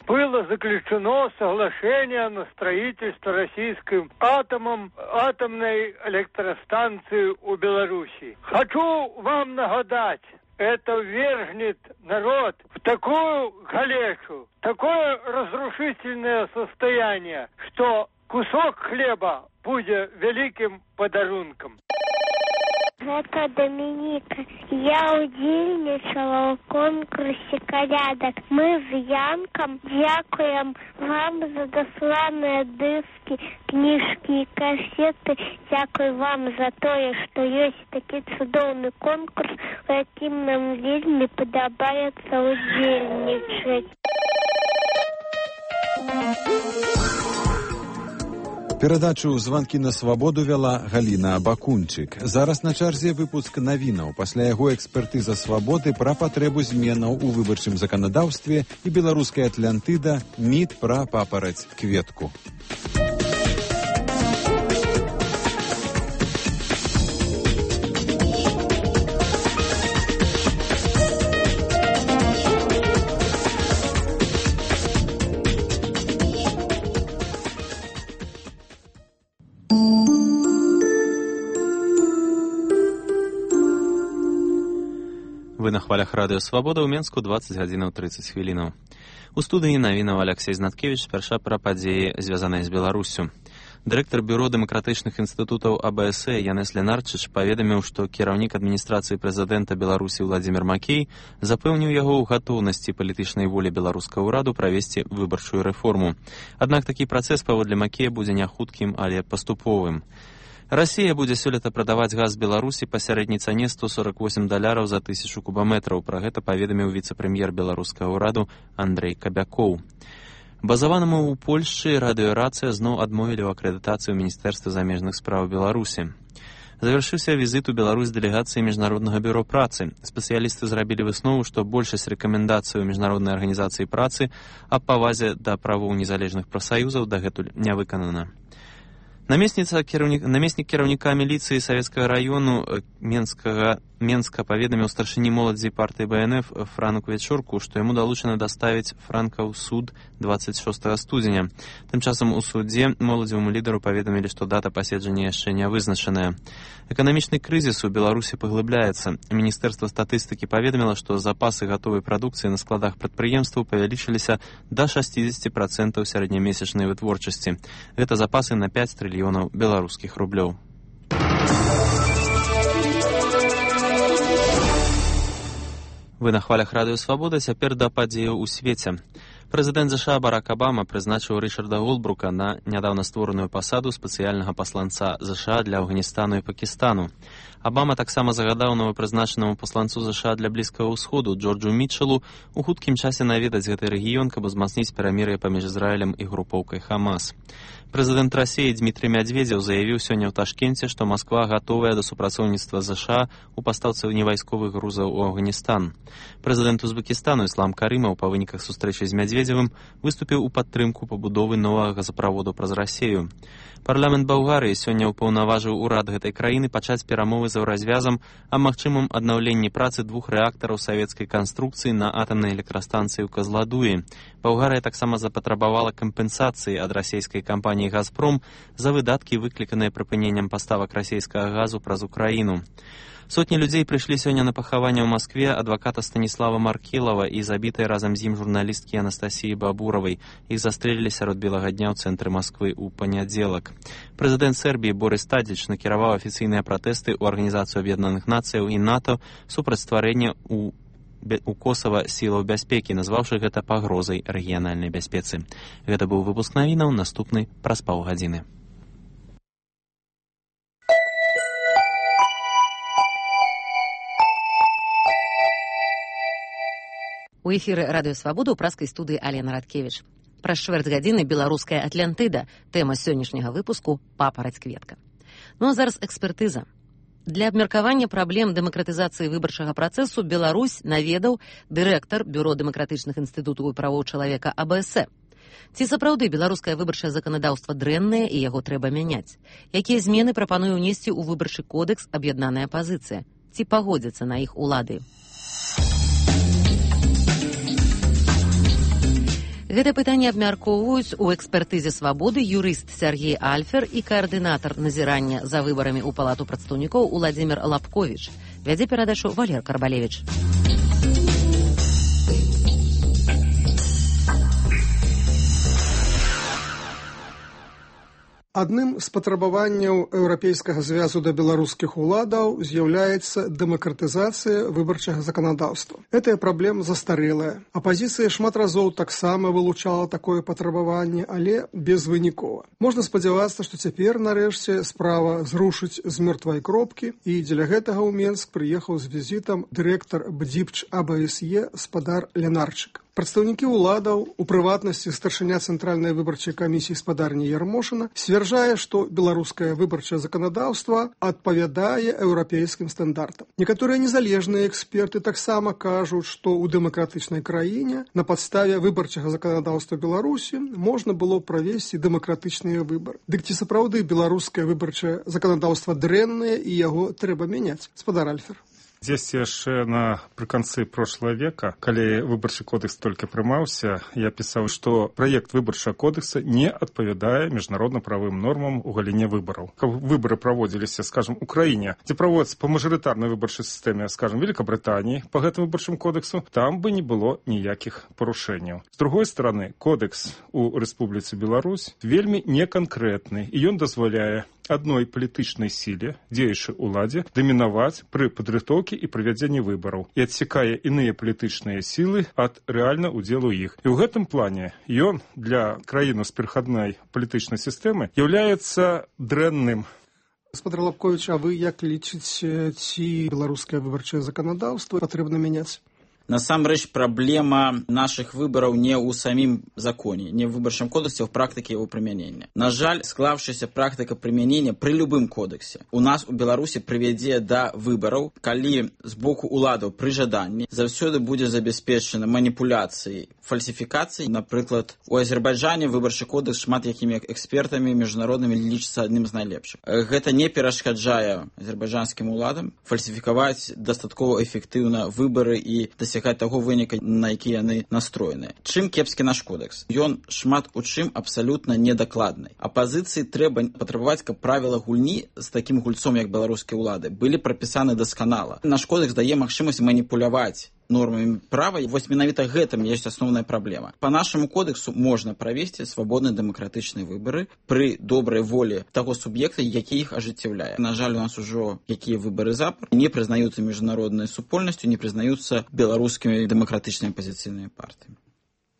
Было заключено соглашение на строительство российским атомной электростанции у Беларуси. Хочу вам нагадать, это ввергнет народ в такую галешу, такое разрушительное состояние, что кусок хлеба будет великим подарунком. Гэта Дамініка. Я удзельнічала ў конкурсе калядак. Мы з Янкам дзякуем вам за дасланыя дыскі, кніжкі і касеты. Дзякуй вам за тое, што ёсць такі цудоўны конкурс, у якім нам вельмі падабаецца удзельнічаць. Перадачу «Званкі на свабоду» вяла Галіна Бакунчык. Зараз на чарзе выпуск навінаў. Пасля яго экспертыза свабоды пра патрэбу зменаў у выбарчым заканадаўстве і беларуская Атлантыда міт пра папараць кветку. Вы на хвалях радыё «Свабода» ў Менску 20 гадзінаў 30 хвілінаў. У студыі навінаў Алексей Знаткевіч спярша пра падзеі, звязаныя з Беларуссю. Дырэктар бюро дэмакратычных інстытутаў АБС Янес Ленарчыч паведаміў, што кіраўнік адміністрацыі прэзідэнта Беларусі Владзімір Макей запэўніў яго ў гатоўнасці палітычнай волі беларускага ўраду правесці выбарчую рэформу. Аднак такі працэс паводле Макея будзе не хуткім, але паступовым. Расія будзе сёлета прадаваць газ Беларусі па сярэдняй цане $148 за 1000 кубаметраў. Пра гэта паведаміў віцэ-прэм'ер беларускага ўраду Андрэй Кабякоў. Базаванаму ў Польшчы радыёрацыя зноў адмовілі ў акрэдытацыі ў Міністэрстве замежных спраў Беларусі. Завяршыўся візіт у Беларусь дэлегацыі Міжнароднага бюро працы. Спецыялісты зрабілі выснову, што большасць рэкамендацый у Міжнароднай арганізацыі працы аб павазе да правоў незалежных прафсаюзаў дагэтуль не выканана. Намеснік кіраўніка міліцыі Савецкага раёну Менска паведаміў старшыні моладзі партыі БНФ Франку Вечорку, што яму далучана даставіць Франка ў суд 26 студзеня. Тым часам у судзе моладзеваму лідару паведамілі, што дата паседжання яшчэ не вызначаная. Эканамічны крызіс у Беларусі паглыбляецца. Міністэрства статыстыкі паведаміла, што запасы гатовай прадукцыі на складах прадпрыемстваў павялічыліся да 60% сярэднямесячнай вытворчасці. Гэта запасы на 5 трыльёнаў беларускіх рублёў. Вы на хвалях радыё «Свабода», цяпер да падзеяў у свеце. Прэзідэнт ЗША Барак Абама прызначыў Рычарда Голдбрука на нядаўна створаную пасаду спецыяльнага пасланца ЗША для Афганістану і Пакістану. Абама таксама загадаў новапрызначанаму пасланцу ЗША для Блізкага ўсходу Джорджу Мітчелу у хуткім часе наведаць гэты рэгіён, каб узмацніць перамір'е паміж Ізраілем і групоўкай Хамас. Прэзідэнт Расіі Дмітрый Мядзведзеў заявіў сёння ў Ташкенце, што Масква гатовая да супрацоўніцтва ЗША у пастаўцы невайсковых грузаў у Афганістан. Прэзідэнт Узбекістану Іслам Карымаў па выніках сустрэчы з Мядзведзевым выступіў у падтрымку пабудовы новага газаправоду праз Расею. Парламент Балгарыі сёння ўпаўнаважыў урад гэтай краіны пачаць перамовы за развязам аб магчымым аднаўленні працы 2 рэактараў савецкай канструкцыі на атамнай электрастанцыі ў Казладуі. Балгарыя таксама запатрабавала кампенсацыі ад расійскай кампаніі «Газпром» за выдаткі, выкліканыя прыпыненнем паставак расійскага газу праз Украіну. Сотні людзей прыйшлі сёння на пахаванне ў Маскве адваката Станіслава Маркелава і забітай разам з ім журналісткі Анастасіі Бабуравай. Іх застрэлілі сярод белага дня ў цэнтры Масквы ў панядзелак. Прэзідэнт Сербіі Борис Тадзіч накіраваў афіцыйныя пратэсты ў Арганізацыю Аб'яднаных Нацыяў і НАТО супраць стварэння у Косава сілаў бяспекі, назваўшы гэта пагрозай рэгіянальнай бяспецы. Гэта быў выпуск навінаў, наступны праз паўгадзіны. У эфіры радыё «Свабода» ў праскай студыі Алена Радкевіч. Праз чвэрць гадзіны беларуская Атлантыда. Тэма сённяшняга выпуску «Папараць кветка». Ну а зараз экспертыза. Для абмеркавання праблем дэмакратызацыі выбарчага працэсу Беларусь наведаў дырэктар бюро дэмакратычных інстытутаў і правоў чалавека АБС. Ці сапраўды беларускае выбарчае заканадаўства дрэннае і яго трэба мяняць? Якія змены прапануе ўнесці ў выбарчы кодэкс аб'яднаная апазіцыя? Ці пагодзяцца на іх улады? Гэта пытанне абмяркоўваюць у экспертызе «Свабоды» юрыст Сергей Альфер і каардынатар назірання за выбарамі ў Палату прадстаўнікоў Уладзімір Лапковіч. Вядзе перадачу Валер Карбалевіч. Адным з патрабаванняў Еўрапейскага звязу да беларускіх уладаў з'яўляецца дэмакратызацыя выбарчага заканадаўства. Гэтая праблема застарэлая. Апазіцыя шмат разоў таксама вылучала такое патрабаванне, але безвынікова. Можна спадзявацца, што цяпер, нарэшце, справа зрушыць з мёртвай кропкі, і дзеля гэтага ў Менск прыехаў з візітам дырэктар БДИПЧ АБСЕ спадар Ленарчык. Прадстаўнікі ўладаў, у прыватнасці старшыня Цэнтральнай выбарчай камісіі спадарні Ярмошына, сцвярджае, што беларускае выбарчае заканадаўства адпавядае еўрапейскім стандартам. Некаторыя незалежныя эксперты таксама кажуць, што ў дэмакратычнай краіне на падставе выбарчага заканадаўства Беларусі можна было правесці дэмакратычныя выбары. Дык ці сапраўды беларускае выбарчае заканадаўства дрэннае і яго трэба мяняць? Спадар Альфер. Здесь яшчэ напрыканцы прошлого века, калі выбарчы кодекс толькі прымаўся, я пісаў, што праект выбарчага кодекса не адпавядае міжнародна-правым нормам у галіне выбараў. Каб выбары праводзіліся, скажем, у краіне, дзе праводзяцца па мажарытарнай выбарчай сістэме, скажем, Великабрытаніі па гэтым выбарчым кодексу, там бы не было ніякіх парушэнняў. З другой стороны, кодекс у Рэспубліцы Беларусь вельмі неканкрэтны, і ён дазваляе адной палітычнай сіле, дзеючай уладзе, дамінаваць пры падрыхтоўкі і правядзенні выбараў і адсякае іныя палітычныя сілы ад рэальна удзелу іх. І ў гэтым плане ён для краіны з перахадной палітычнай сістэмы з'яўляецца дрэнным. Спадар Лапковіч, а вы як лічыце, ці беларускае выбарчае заканадаўства патрэбна мяняць? Насамрэч, праблема нашых выбараў не ў самім законе, не ў выбарчым кодексе, а ў практыке яго прымянення. На жаль, склаўшаяся практыка прымянення пры любым кодексе у нас у Беларусі прывядзе да выбараў, калі з боку уладаў пры жаданні заўсёды будзе забяспечана маніпуляцыі, фальсіфікацыі. Напрыклад, у Азербайджане выбарчы кодекс шмат якімі экспертамі міжнароднымі лічыцца адным з найлепшых. Гэта не перашкаджае азербайджанскім уладам фальсіфікаваць дастаткова эфектыўна выбары і дасягаць таго выніка, на які яны настроеныя. Чым кепскі наш кодекс? Ён шмат у чым абсалютна недакладны. Апазіцыі трэба патрабаваць, каб правіла гульні з такім гульцом, як беларускія ўлады, былі прапісаны дасканала. Наш кодекс дае магчымасць маніпуляваць нормамі права, і вось менавіта гэтым ёсць асноўная праблема. Па нашаму кодексу можна правесці свабодныя дэмакратычныя выбары пры добрай волі таго суб'екта, які іх ажыццяўляе. На жаль, у нас ужо якія выбары запар не прызнаюцца міжнароднай супольнасцю, не прызнаюцца беларускімі дэмакратычнымі апазіцыйнымі партыямі.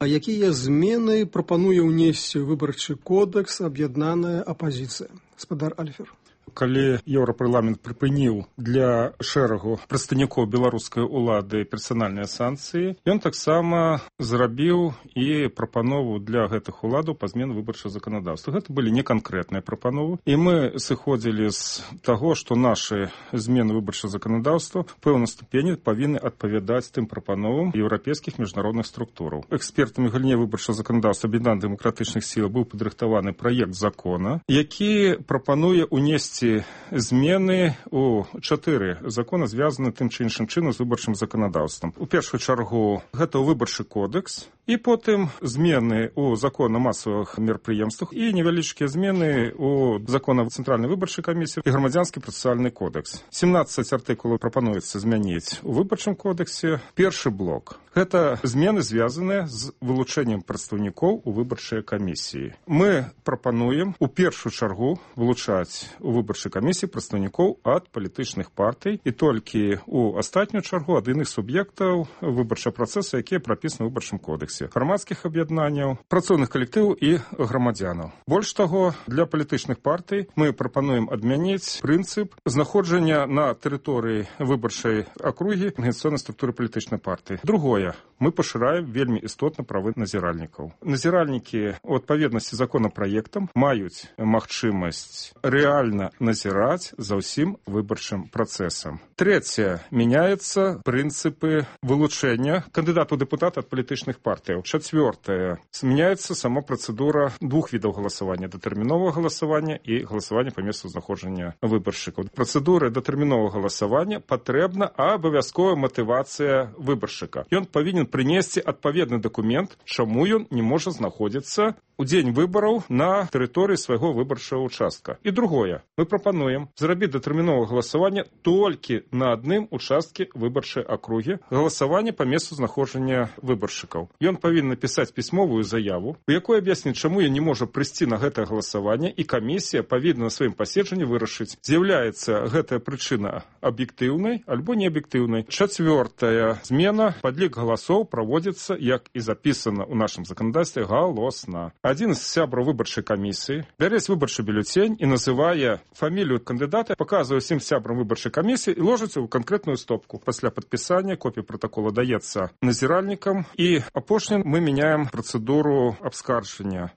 А якія змены прапануе ўнесці выбарчы кодекс аб'яднаная апазіцыя? Спадар Альфер. Калі Еўрапарламент прыпыніў для шэрагу прадстаўнікоў беларускай улады персанальныя санкцыі, ён таксама зрабіў і прапанову для гэтых уладаў па змене выбарчага заканадаўства. Гэта былі неканкрэтныя прапановы, і мы сыходзілі з таго, што нашы змены выбарчага заканадаўства ў пэўнай ступені павінны адпавядаць тым прапановам еўрапейскіх міжнародных структураў. Экспертамі галіне выбарчага заканадаўства аб'яднання дэмакратычных сіл быў падрыхтаваны праект закона, які прапануе ўнесці змены у 4 закона, звязаны тым ці іншым чынам з выбарчым заканадаўствам. У першую чаргу гэта выбарчы кодекс, і потым змены у закон о масавых мерапрыемствах і невялічкія змены у закон о Цэнтральнай выбарчай камісіі і грамадзянскі працэсуальны кодекс. 17 артыкулаў прапануецца змяніць у выбарчым кодексе. Першы блок – гэта змены, звязаныя з вылучэннем прадстаўнікоў у выбарчай камісіі. Мы прапануем у першую чаргу вылучаць у выбарчай камісіі прадстаўнікоў ад палітычных партый і толькі у астатнюю чаргу ад іных суб'ектаў выбарчага працэсу, якія прапісаны ў выбарчым кодексе, грамадскіх аб'яднанняў, працоўных калектываў і грамадзянаў. Больш таго, для палітычных партый мы прапануем адмяніць прынцып знаходжання на тэрыторыі выбарчай акругі арганізацыйнай структуры палітычнай партыі. Другое, мы пашыраем вельмі істотна правы назіральнікаў. Назіральнікі у адпаведнасці з законапраектам маюць магчымасць рэальна назіраць за ўсім выбарчым працэсам. Трэцяе, мяняецца прынцыпы вылучэння кандыдатаў дэпутата ад палітычных партый. Чацвёртае, змяняецца сама працэдура двух відаў галасавання: датэрміновага галасавання і галасавання па месцу знаходжання выбаршчыкаў. Працэдуры датэрміновага галасавання патрэбна абавязковая матывацыя выбаршчыка. Ён павінен прынесці адпаведны дакумент, чаму ён не можа знаходзіцца у дзень выбараў на тэрыторыі свайго выбарчага участка. І другое, мы прапануем зрабіць датэрміновае галасаванне толькі на адным участкі выбарчай акругі, галасаванне па месцу знаходжання выбаршчыкаў. Ён павінен напісаць пісьмовую заяву, у якой аб'ясніць, чаму ён не можа прыйсці на гэтае галасаванне, і камісія павінна на сваім паседжанні вырашыць, з'яўляецца гэтая прычына аб'ектыўнай альбо неаб'ектыўнай. Чацвёртая змена, падлік галасоў праводзіцца, як і запісана ў нашым заканадаўстве, галосна. Адзін з сябраў выбарчай камісіі бярэць выбарчы бюлетень і называе фамілію кандыдата, паказвае ўсім сябрам выбарчай камісіі і ложыцца ў канкрэтную стопку. Пасля падпісання копія пратакола даецца назіральнікам, і апошні апошні мы мяняем працэдуру абскарджання.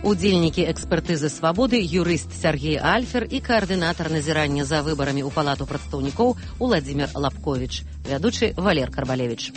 Удзельнікі экспертызы «Свабоды» юрыст Сергей Альфер і каардынатар назірання за выбарамі ў палату прадстаўнікоў Уладзімір Лапковіч, вядучы Валер Карбалевіч.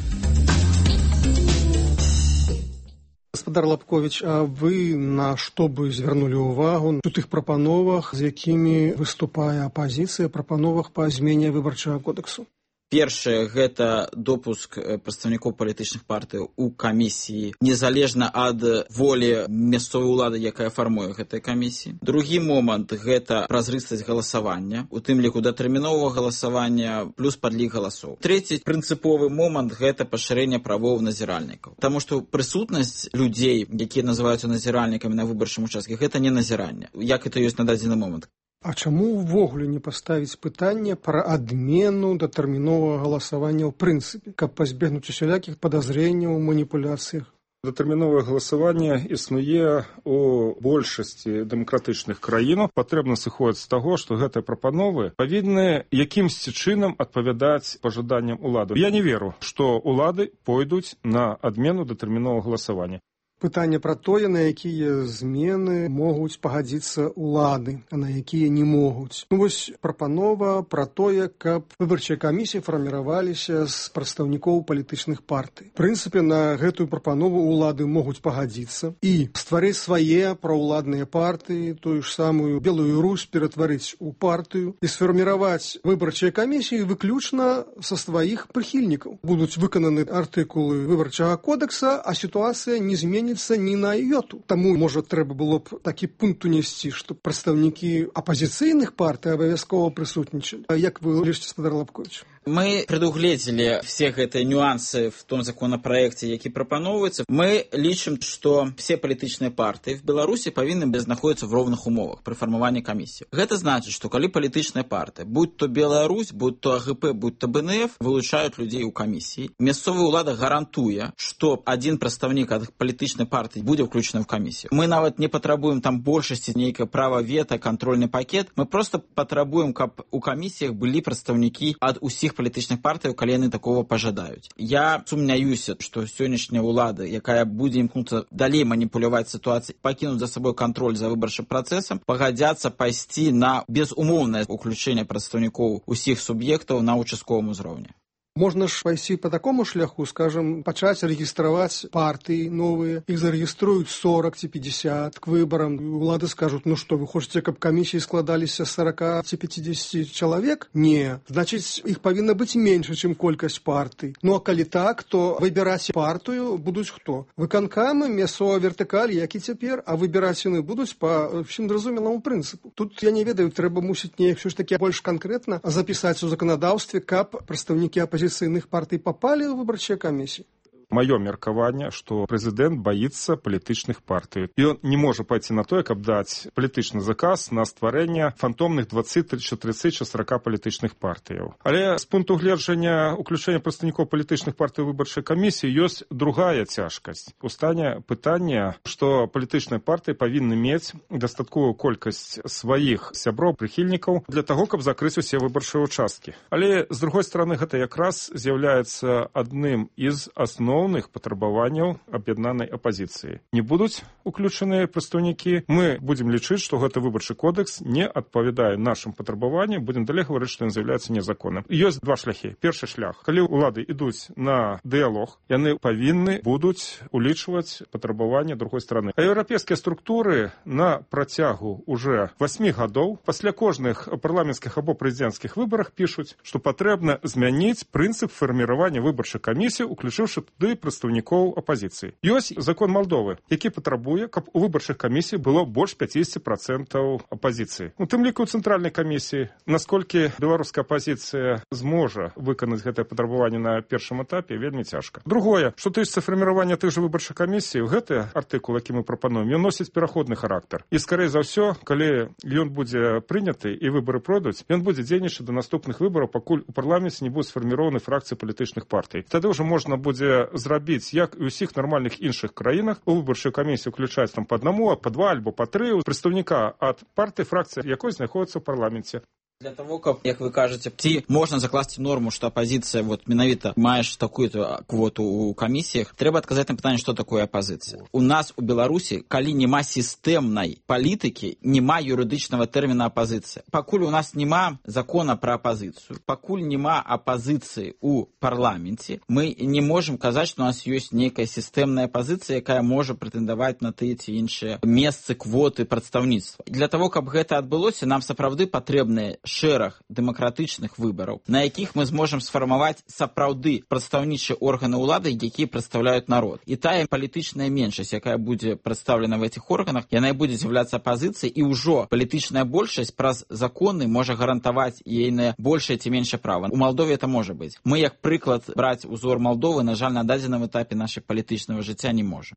Гаспадар Лапковіч, а вы на што бы звярнулі ўвагу у тых прапановах, з якімі выступае апазіцыя, прапановах па змене выбарчага кодэксу? Першае, гэта допуск прадстаўнікоў палітычных партый у камісіі, незалежна ад волі мясцовай улады, якая фармуе гэтыя камісіі. Другі момант, гэта празрыстасць галасавання, у тым ліку датэрміновага галасавання плюс падлік галасоў. Трэці прынцыповы момант, гэта пашырэнне правоў назіральнікаў. Таму што прысутнасць людзей, якія называюцца назіральнікамі на выбарчым участке, гэта не назіранне, як это ёсць на дадзены момант. А чаму ўвогуле не паставіць пытанне пра адмену датэрміновага галасавання ў прынцыпе, каб пазбегнуць усялякіх падазрэнняў, маніпуляцыях? Датэрміновае галасаванне існуе у большасці дэмакратычных краінаў. Патрэбна сыходзіць з таго, што гэтыя прапановы павінны якімсьці чынам адпавядаць пажаданням улады. Я не веру, што улады пойдуць на адмену датэрміновага галасавання. Пытанне пра тое, на якія змены могуць пагадзіцца ўлады, а на якія не могуць. Вось прапанова пра тое, каб выбарчыя камісіі фарміраваліся з прадстаўнікоў палітычных партый. В прынцыпе, на гэтую прапанову ўлады могуць пагадзіцца і стварыць свае праўладныя партыі, тую ж самую Белую Русь ператварыць у партыю і сфарміраваць выбарчыя камісіі выключна са сваіх прыхільнікаў. Будуць выкананы артыкулы выбарчага кодекса, а сітуацыя не зменіцца ні на йоту. Таму, можа, трэба было б такі пункт унесці, што прадстаўнікі апазіцыйных партый абавязкова прысутнічалі. Як вы лічыце, гаспадар Лапковіч? Мы предугледзелі все гэтыя нюансы в том законопроекте, які прапановваецца. Мы лічым, што все палітычныя партыі в Беларусі павінны знаходзіцца в роўных умовах пры фармаванні камісіі. Гэта значыць, што калі палітычная партыя, будь то Беларусь, будь то АГП, будь то БНФ, вылучаюць людзей у камісіі, мясцовая ўлада гарантуе, што адзін прадстаўнік ад палітычнай партыі будзе ўключаны в камісію. Мы нават не патрабуем там большасці нейкае права вета, контрольны пакет. Мы просто патрабуем, каб у камісіях былі прадстаўнікі ад усіх палітычных партый, калі яны такого пажадаюць. Я сумняюся, што сённяшняя ўлада, якая будзе імкнуцца далей маніпуляваць сітуацыяй, пакінуць за сабой кантроль за выбарчым працэсам, пагадзяцца пайсці на безумоўнае ўключэнне прадстаўнікоў усіх суб'ектаў на участковым узроўні. Можна ж пайсці по такому шляху, скажем, пачаць рэгістраваць партыі новыя, іх зарэгіструюць 40 ці 50 к выбарам. Улады скажуць, ну што, вы хочаце, каб камісіі складаліся 40 ці 50 чалавек? Не. Значыць, іх павінна быць менш, чым колькасць партый. Ну а калі так, то выбіраць партыю будуць хто? Выканкамы, мясцовая вертыкаль, як і цяпер, а выбіраць яны будуць па ўсім зразумелому прынцыпу. Тут, я не ведаю, трэба мусіць неяк ўсё ж такі больш канкрэтна запісаць у заканадаўстве, каб прадстаўнікі апозіцыйных партый попали в выборчие комиссии. Маё меркаванне, што прэзідэнт баіцца палітычных партый. І он не можа пайти на тое, каб даць палітычны заказ на стварэнне фантомных 20, 30, 40 палітычных партыяў. Але з пункту гледжання уключэння прадстаўнікоў палітычных партый выбарчай камісіі ёсць другая цяжкасць. Устане пытанне, што палітычныя партыі павінны мець дастатковую колькасць сваіх сяброў, прыхільнікаў для таго, каб закрыць усе выбарчыя участкі. Але, з другой стороны, гэта якраз з'яўляецца адным з асноў патрабаванняў аб'яднанай апазіцыі. Не будуць уключаныя прадстаўнікі. Мы будзем лічыць, што гэты выбарчы кодекс не адпавядае нашым патрабаванням, будзем далей гаварыць, што ён з'яўляецца незаконным. Ёсць два шляхі. Першы шлях. Калі ўлады ідуць на дыялог, яны павінны будуць улічваць патрабаванні другой стороны. А еўрапейскія структуры на працягу уже 8 гадоў пасля кожных парламенцкіх або прэзідэнцкіх выбарах пішуць, што патрэбна змяніць прынцып фарміравання выбарчай камісіі, уключыўшы туды прадстаўнікоў апазіцыі. Ёсць закон Малдовы, які патрабуе, каб у выбарчых камісій было больш 50% апазіцыі. У тым ліку ў цэнтральнай камісіі, насколькі беларуская апазіцыя зможа выканаць гэтае патрабаванне на першым этапе, вельмі цяжка. Другое, што тычыцца фарміравання тых жа выбарчых камісій, гэты артыкул, які мы прапануем, ён носіць пераходны характар. І скорей за ўсё, калі ён будзе прыняты і выбары пройдуць, ён будзе дзейнічаць да наступных выбараў, пакуль у парламенце не будуць сфарміраваны фракцыі палітычных партый. Тады ўжо можна будзе зрабіць, як і ўсіх нармальных іншых краінах, у выбарчую камісію уключаць там па аднаму, па два альбо па тры прадстаўніка ад партыі, фракцыі, якой знаходзіцца ў парламенце. Для того, каб, як вы кажаце, ці можна закласці норму, што апазіцыя вот менавіта маеш такую-то квоту ў камісіях, трэба адказаць на пытанне, што такое апазіцыя. У нас у Беларусі, калі няма сістэмнай палітыкі, няма юрыдычнага тэрміна апазіцыя. Пакуль у нас няма закона пра апазіцыю, пакуль няма апазіцыі ў парламенце, мы не можам казаць, што у нас ёсць нейкая сістэмная апазіцыя, якая можа прэтэндаваць на тыя ці іншыя месцы, квоты, прадстаўніцтва. Для того, каб гэта адбылося, нам сапраўды патрэбныя шэраг дэмакратычных выбараў, на якіх мы зможам сфармаваць сапраўды прадстаўнічыя органы ўлады, якія прадстаўляюць народ. І тая палітычная меншасць, якая будзе прадстаўлена в этих органах, яна будзе з'яўляцца апазіцыяй, і ўжо палітычная большасць праз законы можа гарантаваць ейнае большае ці меншае права. У Малдове это можа быць. Мы, як прыклад, браць узор Малдовы, на жаль, на дадзеным этапе нашай палітычнага жыцця не можа.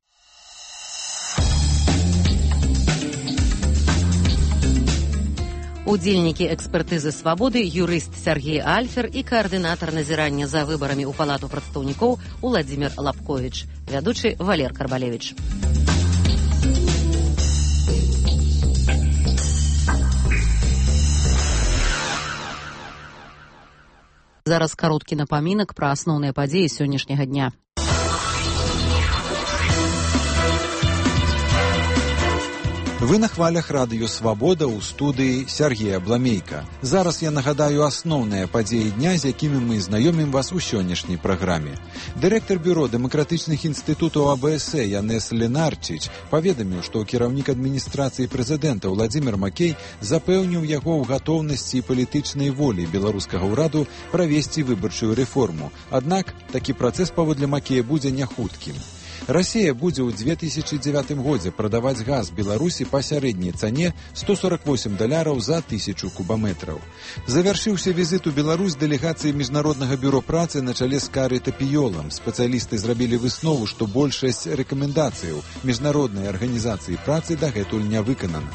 Удзельнікі экспертызы «Свабоды» юрыст Сергей Альфер і каардынатар назірання за выбарамі ў палату прадстаўнікоў Уладзімір Лапковіч, вядучы Валер Карбалевіч. Зараз кароткі напамінак пра асноўныя падзеі сённяшняга дня. Вы на хвалях радыё «Свабода» ў студыі Сергея Бламейка. Зараз я нагадаю асноўныя падзеі дня, з якімі мы знаёмім вас у сённяшняй праграме. Дырэктар бюро дэмакратычных інстытутаў АБС Янес Ленарчич паведаміў, што кіраўнік адміністрацыі прэзідэнта Уладзімір Макей запэўніў яго ў гатоўнасці і палітычнай волі беларускага ўраду правесці выбарчую рэформу. Аднак такі працэс паводле Макея будзе няхуткім. Расія будзе ў 2009 годзе прадаваць газ Беларусі па сярэдняй цане $148 за 1000 кубаметраў. Завяршыўся візіт у Беларусь дэлегацыі Міжнароднага бюро працы на чале з Карай Тапіёлам. Спецыялісты зрабілі выснову, што большасць рэкамендацыяў Міжнароднай арганізацыі працы дагэтуль не выканана.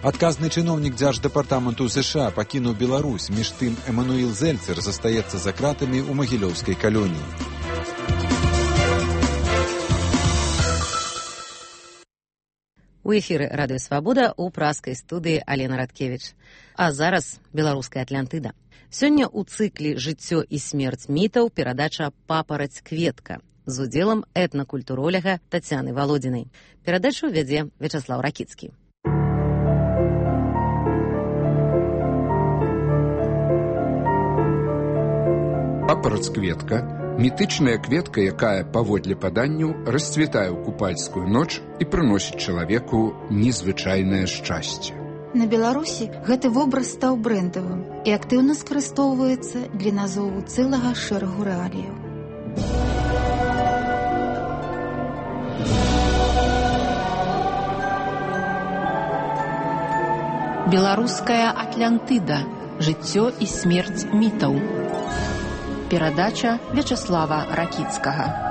Адказны чыноўнік дзярждэпартаменту США пакінуў Беларусь, між тым Эмануіл Зельцер застаецца за кратамі ў магілёўскай калоніі. У эфіры радыё «Свабода» у праскай студыі Алена Радкевіч. А зараз беларуская Атлантыда. Сёння ў цыкле «Жыццё і смерць мітаў» перадача «Папараць-кветка» з удзелам этнакультуроляга Тацяны Валодзінай. Перадачу вядзе Вячаслаў Ракіцкі. Папараць-кветка – мітычная кветка, якая, паводле паданняў, расцвітае ў купальскую ноч і прыносіць чалавеку незвычайнае шчасце. На Беларусі гэты вобраз стаў брэндавым і актыўна скарыстоўваецца для назову цэлага шэрагу рэаліяў. Беларуская Атлантыда. Жыццё і смерць мітаў. Перадача Вячаслава Ракіцкага.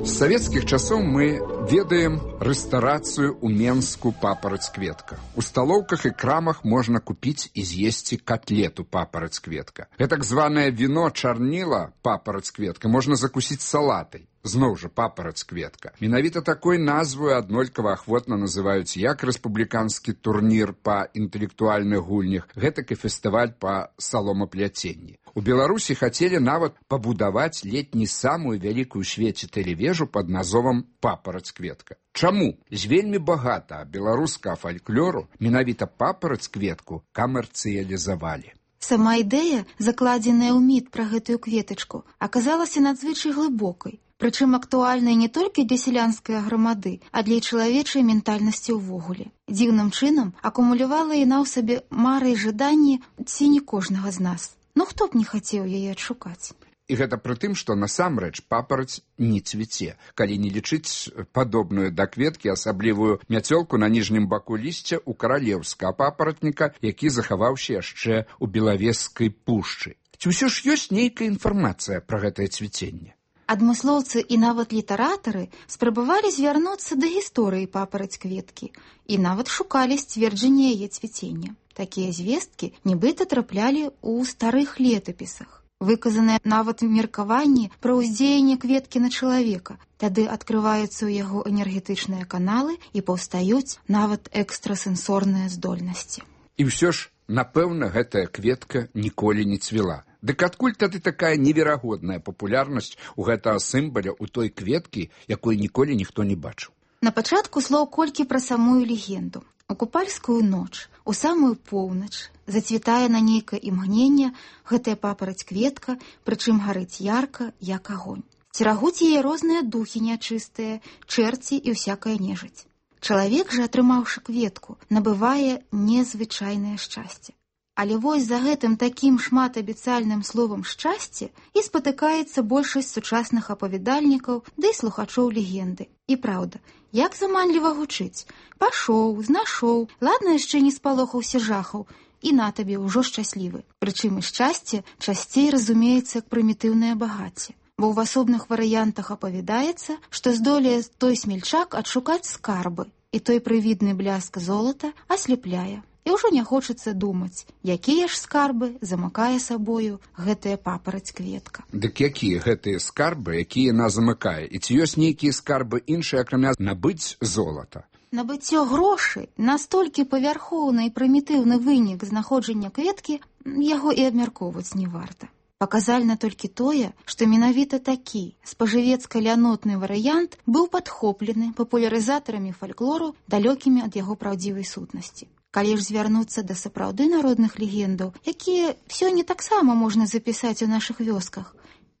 З савецкіх часоў мы ведаем рэстарацыю ў Менску «Папараць-кветка». У сталоўках і крамах можна купіць і з'есці котлету «Папараць-кветка». Гэтак званае віно чарніла «Папараць-кветка» можна закусіць салатай. Зноў жа «Папараць-кветка». Менавіта такой назваю аднолькава ахвотна называюць як рэспубліканскі турнір па інтэлектуальных гульнях, гэтак і фестываль па саломапляценні. У Беларусі хацелі нават пабудаваць ледь не самую вялікую ў свеце тэлевежу пад назовам «Папараць-кветка». Чаму? З вельмі багата беларускага фальклору менавіта «Папараць-кветку» камерцыялізавалі. Сама ідэя, закладзеная ў міт пра гэтую кветачку, аказалася надзвычай глыбокай. Прычым актуальнай не толькі для сялянскай грамады, а для чалавечай ментальнасці ўвогуле. Дзіўным чынам акумулявала яна ў сабе мары і жаданні ці не кожнага з нас. Ну хто б не хацеў яе адшукаць? І гэта пры тым, што насамрэч папараць не цвіце, калі не лічыць падобную да кветкі асаблівую мяцёлку на ніжнім баку лісця ў каралеўскага папаратніка, які захаваўся яшчэ ў Белавежскай пушчы. Ці ўсё ж ёсць нейкая інфармацыя пра гэтае цвіценне? Адмыслоўцы і нават літаратары спрабавалі звярнуцца да гісторыі папараць-кветкі і нават шукалі сцверджанне яе цвіцення. Такія звесткі нібыта траплялі ў старых летапісах. Выказанае нават меркаванне пра ўздзеянне кветкі на чалавека. Тады адкрываюцца ў яго энергетычныя каналы і паўстаюць нават экстрасэнсорныя здольнасці. І ўсё ж, напэўна, гэтая кветка ніколі не цвіла. Дык адкуль тады такая неверагодная папулярнасць у гэтага сімваля ў той кветкі, якой ніколі ніхто не бачыў? На пачатку слоў колькі пра самую легенду. У купальскую ноч, у самую поўнач, зацвітае на нейкае імгненне гэтая папараць кветка, прычым гарыць ярка, як агонь. Церагуць яе розныя духі нячыстыя, чэрці і ўсякая нежыць. Чалавек жа, атрымаўшы кветку, набывае незвычайнае шчасце. Але вось за гэтым такім шматабяцальным словам «шчасце» і спатыкаецца большасць сучасных апавядальнікаў ды і слухачоў легенды. І праўда, як заманліва гучыць. Пашоў, знашоў, ладна яшчэ не спалохаўся жахаў, і на табе ўжо шчаслівы. Прычым і шчасце часцей разумеецца як прымітыўнае багацце. Бо ў асобных варыянтах апавядаецца, што здолее той смельчак адшукаць скарбы, і той прывідны бляск золата аслепляе. І ўжо не хочацца думаць, якія ж скарбы замыкае сабою гэтая папараць кветка. Дык якія гэтыя скарбы, якія яна замыкае? І ці ёсць нейкія скарбы іншыя, акрамя набыць золата? Набыццё грошай настолькі павярхоўны і прымітыўны вынік знаходжання кветкі, яго і абмяркоўваць не варта. Паказальна толькі тое, што менавіта такі спажывецка-лянотны варыянт быў падхоплены папулярызатарамі фальклору, далёкімі ад яго праўдзівай сутнасці. Калі ж звярнуцца да сапраўды народных легендаў, якія сёння таксама можна запісаць у нашых вёсках,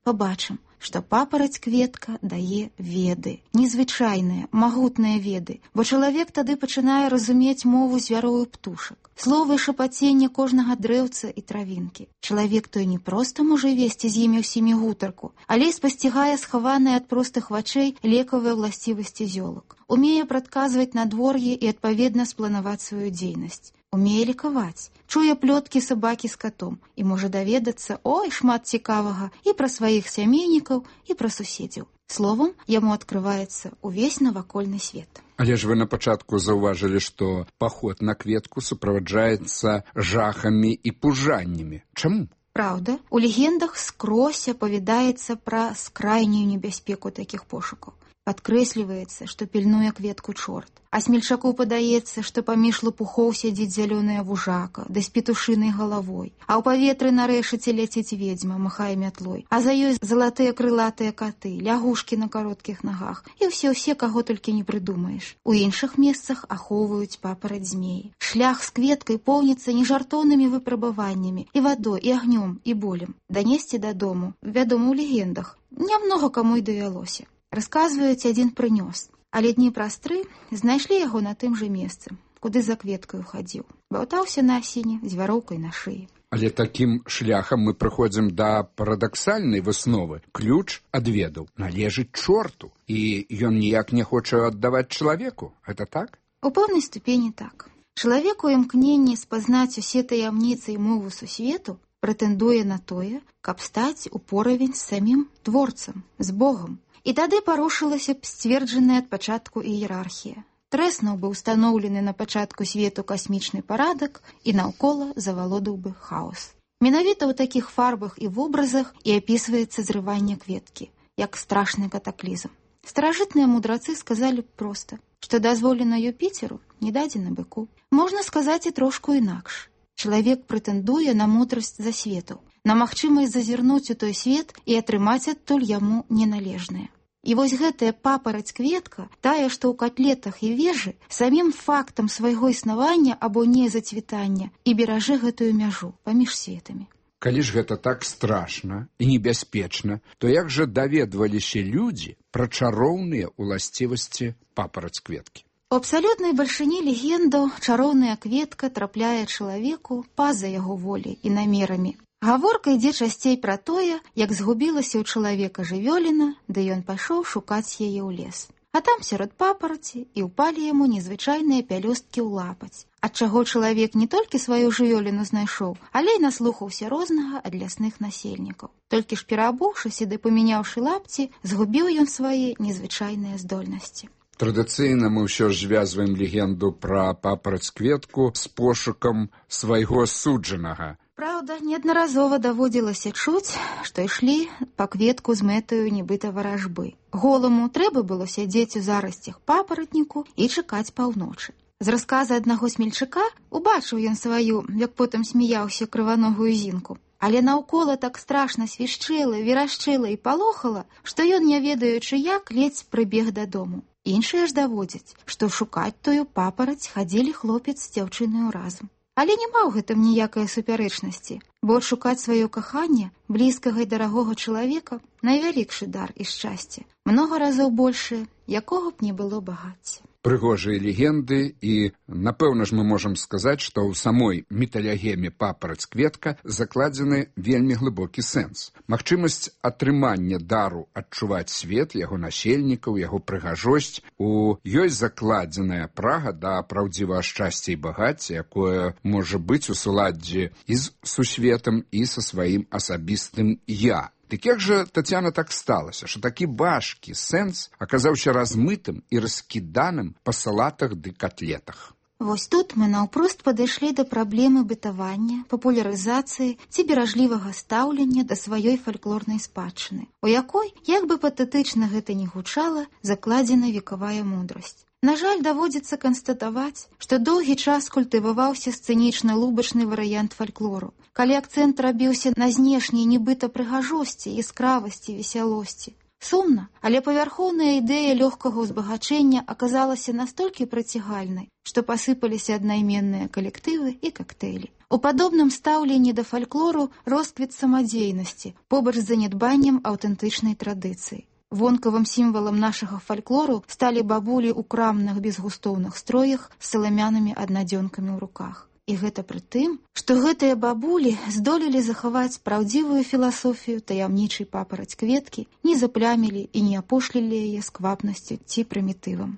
пабачым, што папараць кветка дае веды, незвычайныя, магутныя веды, бо чалавек тады пачынае разумець мову звяроў і птушак, словы шапацення кожнага дрэўца і травінкі. Чалавек той не проста можа весці з імі ўсімі гутарку, але і спасцігае схаваныя ад простых вачэй лекавыя ўласцівасці зёлак. Умее прадказваць надвор'е і адпаведна спланаваць сваю дзейнасць. Умее лікаваць, чуе плёткі сабакі з катом і можа даведацца, ой, шмат цікавага і пра сваіх сямейнікаў, і пра суседзяў. Словам, яму адкрываецца ўвесь навакольны свет. Але ж вы на пачатку заўважылі, што паход на кветку суправаджаецца жахамі і пужаннямі. Чаму? Праўда, у легендах скрозь апавядаецца пра скрайнюю небяспеку такіх пошукаў. Падкрэсліваецца, што пільнуе кветку чорт, а смельчаку падаецца, што паміж лопухоў сядзіць зялёная вужака, да з петушынай галавой, а ў паветры на рэшаце ляціць ведзьма, махае мятлой, а за ёй залатыя крылатыя каты, лягушкі на кароткіх нагах і ўсе, каго толькі не прыдумаеш. У іншых месцах ахоўваюць папараць змеі. Шлях з кветкай поўніцца нежартоўнымі выпрабаваннямі і вадой, і агнём, і болем. Данесці дадому, вядома, у легендах, нямнога каму і давялося. Расказваюць, адзін прынёс, але дні праз 3 знайшлі яго на тым жа месцы, куды за кветкаю хадзіў. Баўтаўся на асіне з вяроўкай на шыі. Але такім шляхам мы прыходзім да парадаксальнай высновы. Ключ ад ведаў належыць чорту, і ён ніяк не хоча аддаваць чалавеку. Гэта так? У пэўнай ступені так. Чалавек у імкненні спазнаць усе таямніцы і мову сусвету прэтэндуе на тое, каб стаць у поравень з самім творцам, з Богам. І тады парушылася б сцверджаная ад пачатку іерархія. Трэснуў бы ўстаноўлены на пачатку свету касмічны парадак і наўкола завалодаў бы хаос. Менавіта ў такіх фарбах і вобразах і апісваецца зрыванне кветкі, як страшны катаклізм. Старажытныя мудрацы сказалі б проста, што дазволена Юпіцеру, не дадзена быку. Можна сказаць і трошку інакш. Чалавек прэтэндуе на мудрасць засветаў, на магчымасць зазірнуць у той свет і атрымаць адтуль яму неналежнае. І вось гэтая папараць кветка, тая, што ў катлетах і вежы, самім фактам свайго існавання або незацвітання і беражэ гэтую мяжу паміж светамі. Калі ж гэта так страшна і небяспечна, то як жа даведваліся людзі пра чароўныя ўласцівасці папараць кветкі? У абсалютнай бальшыні легендаў чароўная кветка трапляе чалавеку па-за яго воляй і намерамі. Гаворка ідзе часцей пра тое, як згубілася ў чалавека жывёліна, ды ён пайшоў шукаць яе ў лес. А там сярод папараці і ўпалі яму незвычайныя пялёсткі ў лапаць, ад чаго чалавек не толькі сваю жывёліну знайшоў, але і наслухаўся рознага ад лясных насельнікаў. Толькі ж пераабуўшыся ды памяняўшы лапці, згубіў ён свае незвычайныя здольнасці. Традыцыйна мы ўсё ж звязваем легенду пра папараць кветку з пошукам свайго суджанага. Праўда, неаднаразова даводзілася чуць, што ішлі па кветку з мэтаю нібыта варажбы. Голаму трэба было сядзець у зарасцях папаратніку і чакаць паўночы. З расказа аднаго смельчака убачыў ён сваю, як потым смяяўся, крываногую зінку. Але наўкола так страшна свішчэла, верашчэла і палохала, што ён, не ведаючы як, ледзь прыбег дадому. Іншыя ж даводзяць, што шукаць тую папараць хадзілі хлопец з дзяўчынаю разам. Але няма ў гэтым ніякай супярэчнасці, бо адшукаць сваё каханне, блізкага і дарагога чалавека, найвялікшы дар і шчасце, многа разоў большае, якога б не было багацця. Прыгожыя легенды, і, напэўна ж, мы можам сказаць, што ў самой міталегеме папараць-кветка закладзены вельмі глыбокі сэнс. Магчымасць атрымання дару адчуваць свет, яго насельнікаў, яго прыгажосць. У ёй закладзеная прага да праўдзівага шчасця і багацця, якое можа быць у суладдзі і з сусветам, і са сваім асабістым «я». Дык як жа, Тацяна, так сталася, што такі важкі сэнс аказаўся размытым і раскіданым па салатах ды котлетах? Вось тут мы наўпрост падышлі да праблемы бытавання, папулярызацыі ці беражлівага стаўлення да сваёй фальклорнай спадчыны, у якой, як бы патэтычна гэта не гучала, закладзена векавая мудрасць. На жаль, даводзіцца канстатаваць, што доўгі час культываваўся сцэнічна-лубачны варыянт фальклору, калі акцэнт рабіўся на знешняй нібыта прыгажосці, яскравасці, весялосці. Сумна, але павярхоўная ідэя лёгкага ўзбагачэння аказалася настолькі прыцягальнай, што пасыпаліся аднайменныя калектывы і кактэйлі. У падобным стаўленні да фальклору росквіт самадзейнасці, побач з занядбаннем аўтэнтычнай традыцыі. Вонкавым сімвалам нашага фальклору сталі бабулі ў крамных безгустоўных строях з саламянымі аднадзёнкамі ў руках. І гэта пры тым, што гэтыя бабулі здолелі захаваць праўдзівую філасофію таямнічай папараць-кветкі, не заплямілі і не апошлілі яе сквапнасцю ці прымітывам.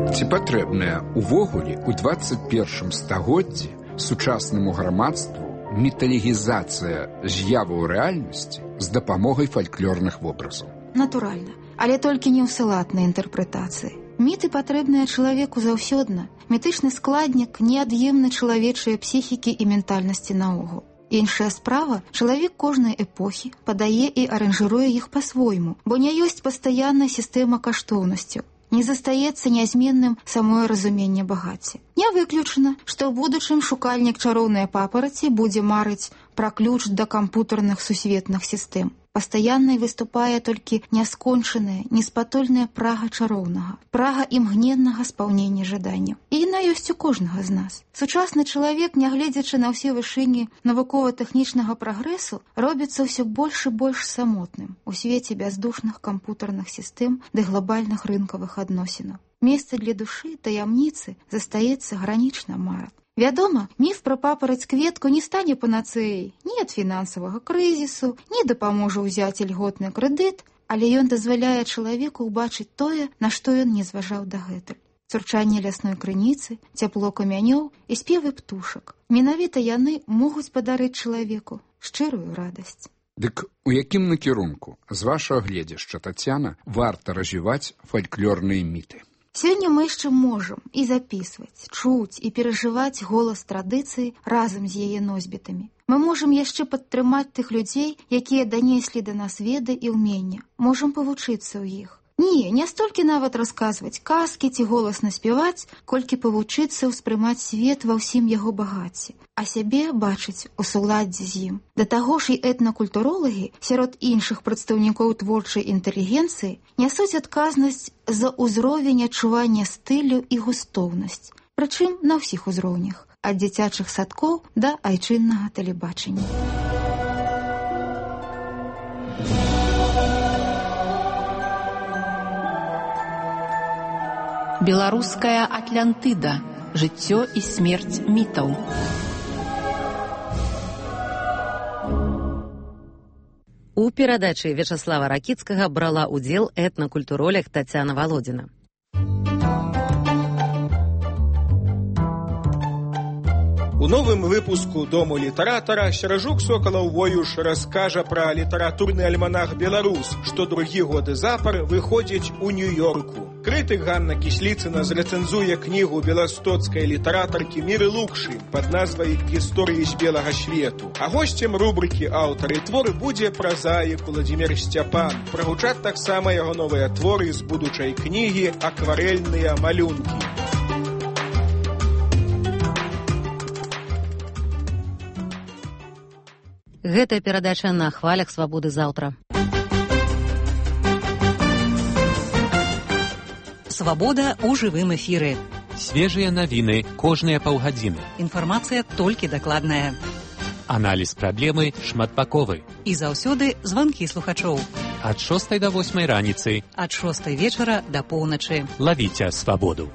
Ці патрэбная увогуле ў 21 стагоддзі сучаснаму грамадству міталегізацыя з'яваў рэальнасці з дапамогай фальклорных вобразаў? Натуральна, але толькі не ў салатнай інтэрпрэтацыі. Міты патрэбныя чалавеку заўсёдна. Мітычны складнік неад'емны чалавечыя псіхікі і ментальнасці наогул. Іншая справа, чалавек кожнай эпохі падае і аранжыруе іх па-свойму, бо не ёсць пастаянная сістэма каштоўнасцяў. Не застаецца нязменным самое разуменне багацця. Не выключана, што ў будучым шукальнік чароўнай папараці будзе марыць пра ключ да кампутарных сусветных сістэм. Пастаяннай выступае толькі няскончаная, неспатольная прага чароўнага, прага імгненнага спаўнення жаданняў. І яна ёсць у кожнага з нас. Сучасны чалавек, нягледзячы на ўсе вышыні навукова-тэхнічнага прагрэсу, робіцца ўсё больш і больш самотным у свеце бяздушных кампутарных сістэм ды глобальных рынкавых адносінаў. Месца для душы, таямніцы застаецца гранічна марат. Вядома, міф пра папараць-кветку не стане панацэяй ні ад фінансавага крызісу, ні дапаможа ўзяць ільготны крэдыт, але ён дазваляе чалавеку ўбачыць тое, на што ён не зважаў дагэтуль. Цурчанне лясной крыніцы, цяпло камянёў і спевы птушак. Менавіта яны могуць падарыць чалавеку шчырую радасць. Дык у якім накірунку, з вашага гледзяшча, Тацяна, варта развіваць фальклорныя міты? Сёння мы яшчэ можам і запісваць, чуць і перажываць голас традыцыі разам з яе носьбітамі. Мы можам яшчэ падтрымаць тых людзей, якія данеслі да нас веды і ўмення. Можам павучыцца ў іх. Не столькі нават расказваць казкі ці голасна спяваць, колькі павучыцца ўспрымаць свет ва ўсім яго багацці, а сябе бачыць у суладдзі з ім. Да таго ж і этнакультуролагі сярод іншых прадстаўнікоў творчай інтэлігенцыі нясуць адказнасць за ўзровень адчування стылю і густоўнасць, прычым на ўсіх узроўнях, ад дзіцячых садкоў да айчыннага тэлебачання. Беларуская Атлантыда. Жыццё і смерць мітаў. У перадачы Вячаслава Ракіцкага брала ўдзел этнакультуролог Тацяна Валодзіна. У новым выпуску «Дому літаратара» Серажук Сокалаў-Воюш раскажа пра літаратурны альманах «Беларус», што другі год запар выходзіць у Нью-Йорку. Крытык Ганна Кісліцына зрэцэнзуе кнігу беластоцкай літаратаркі Міры Лукшы пад назвай «Гісторыі з белага свету». А госцем рубрыкі «Аўтары творы» будзе празаік Уладзімір Сцяпан. Прагучаць таксама яго новыя творы з будучай кнігі «Акварэльныя малюнкі». Гэтая перадача на хвалях свабоды заўтра. Свабода ў жывым эфіры. Свежыя навіны кожныя паўгадзіны. Інфармацыя толькі дакладная. Аналіз праблемы шматбаковы. І заўсёды званкі слухачоў. Ад 6 до 8 раніцы. Ад 6 вечара да поўначы. Лавіце свабоду.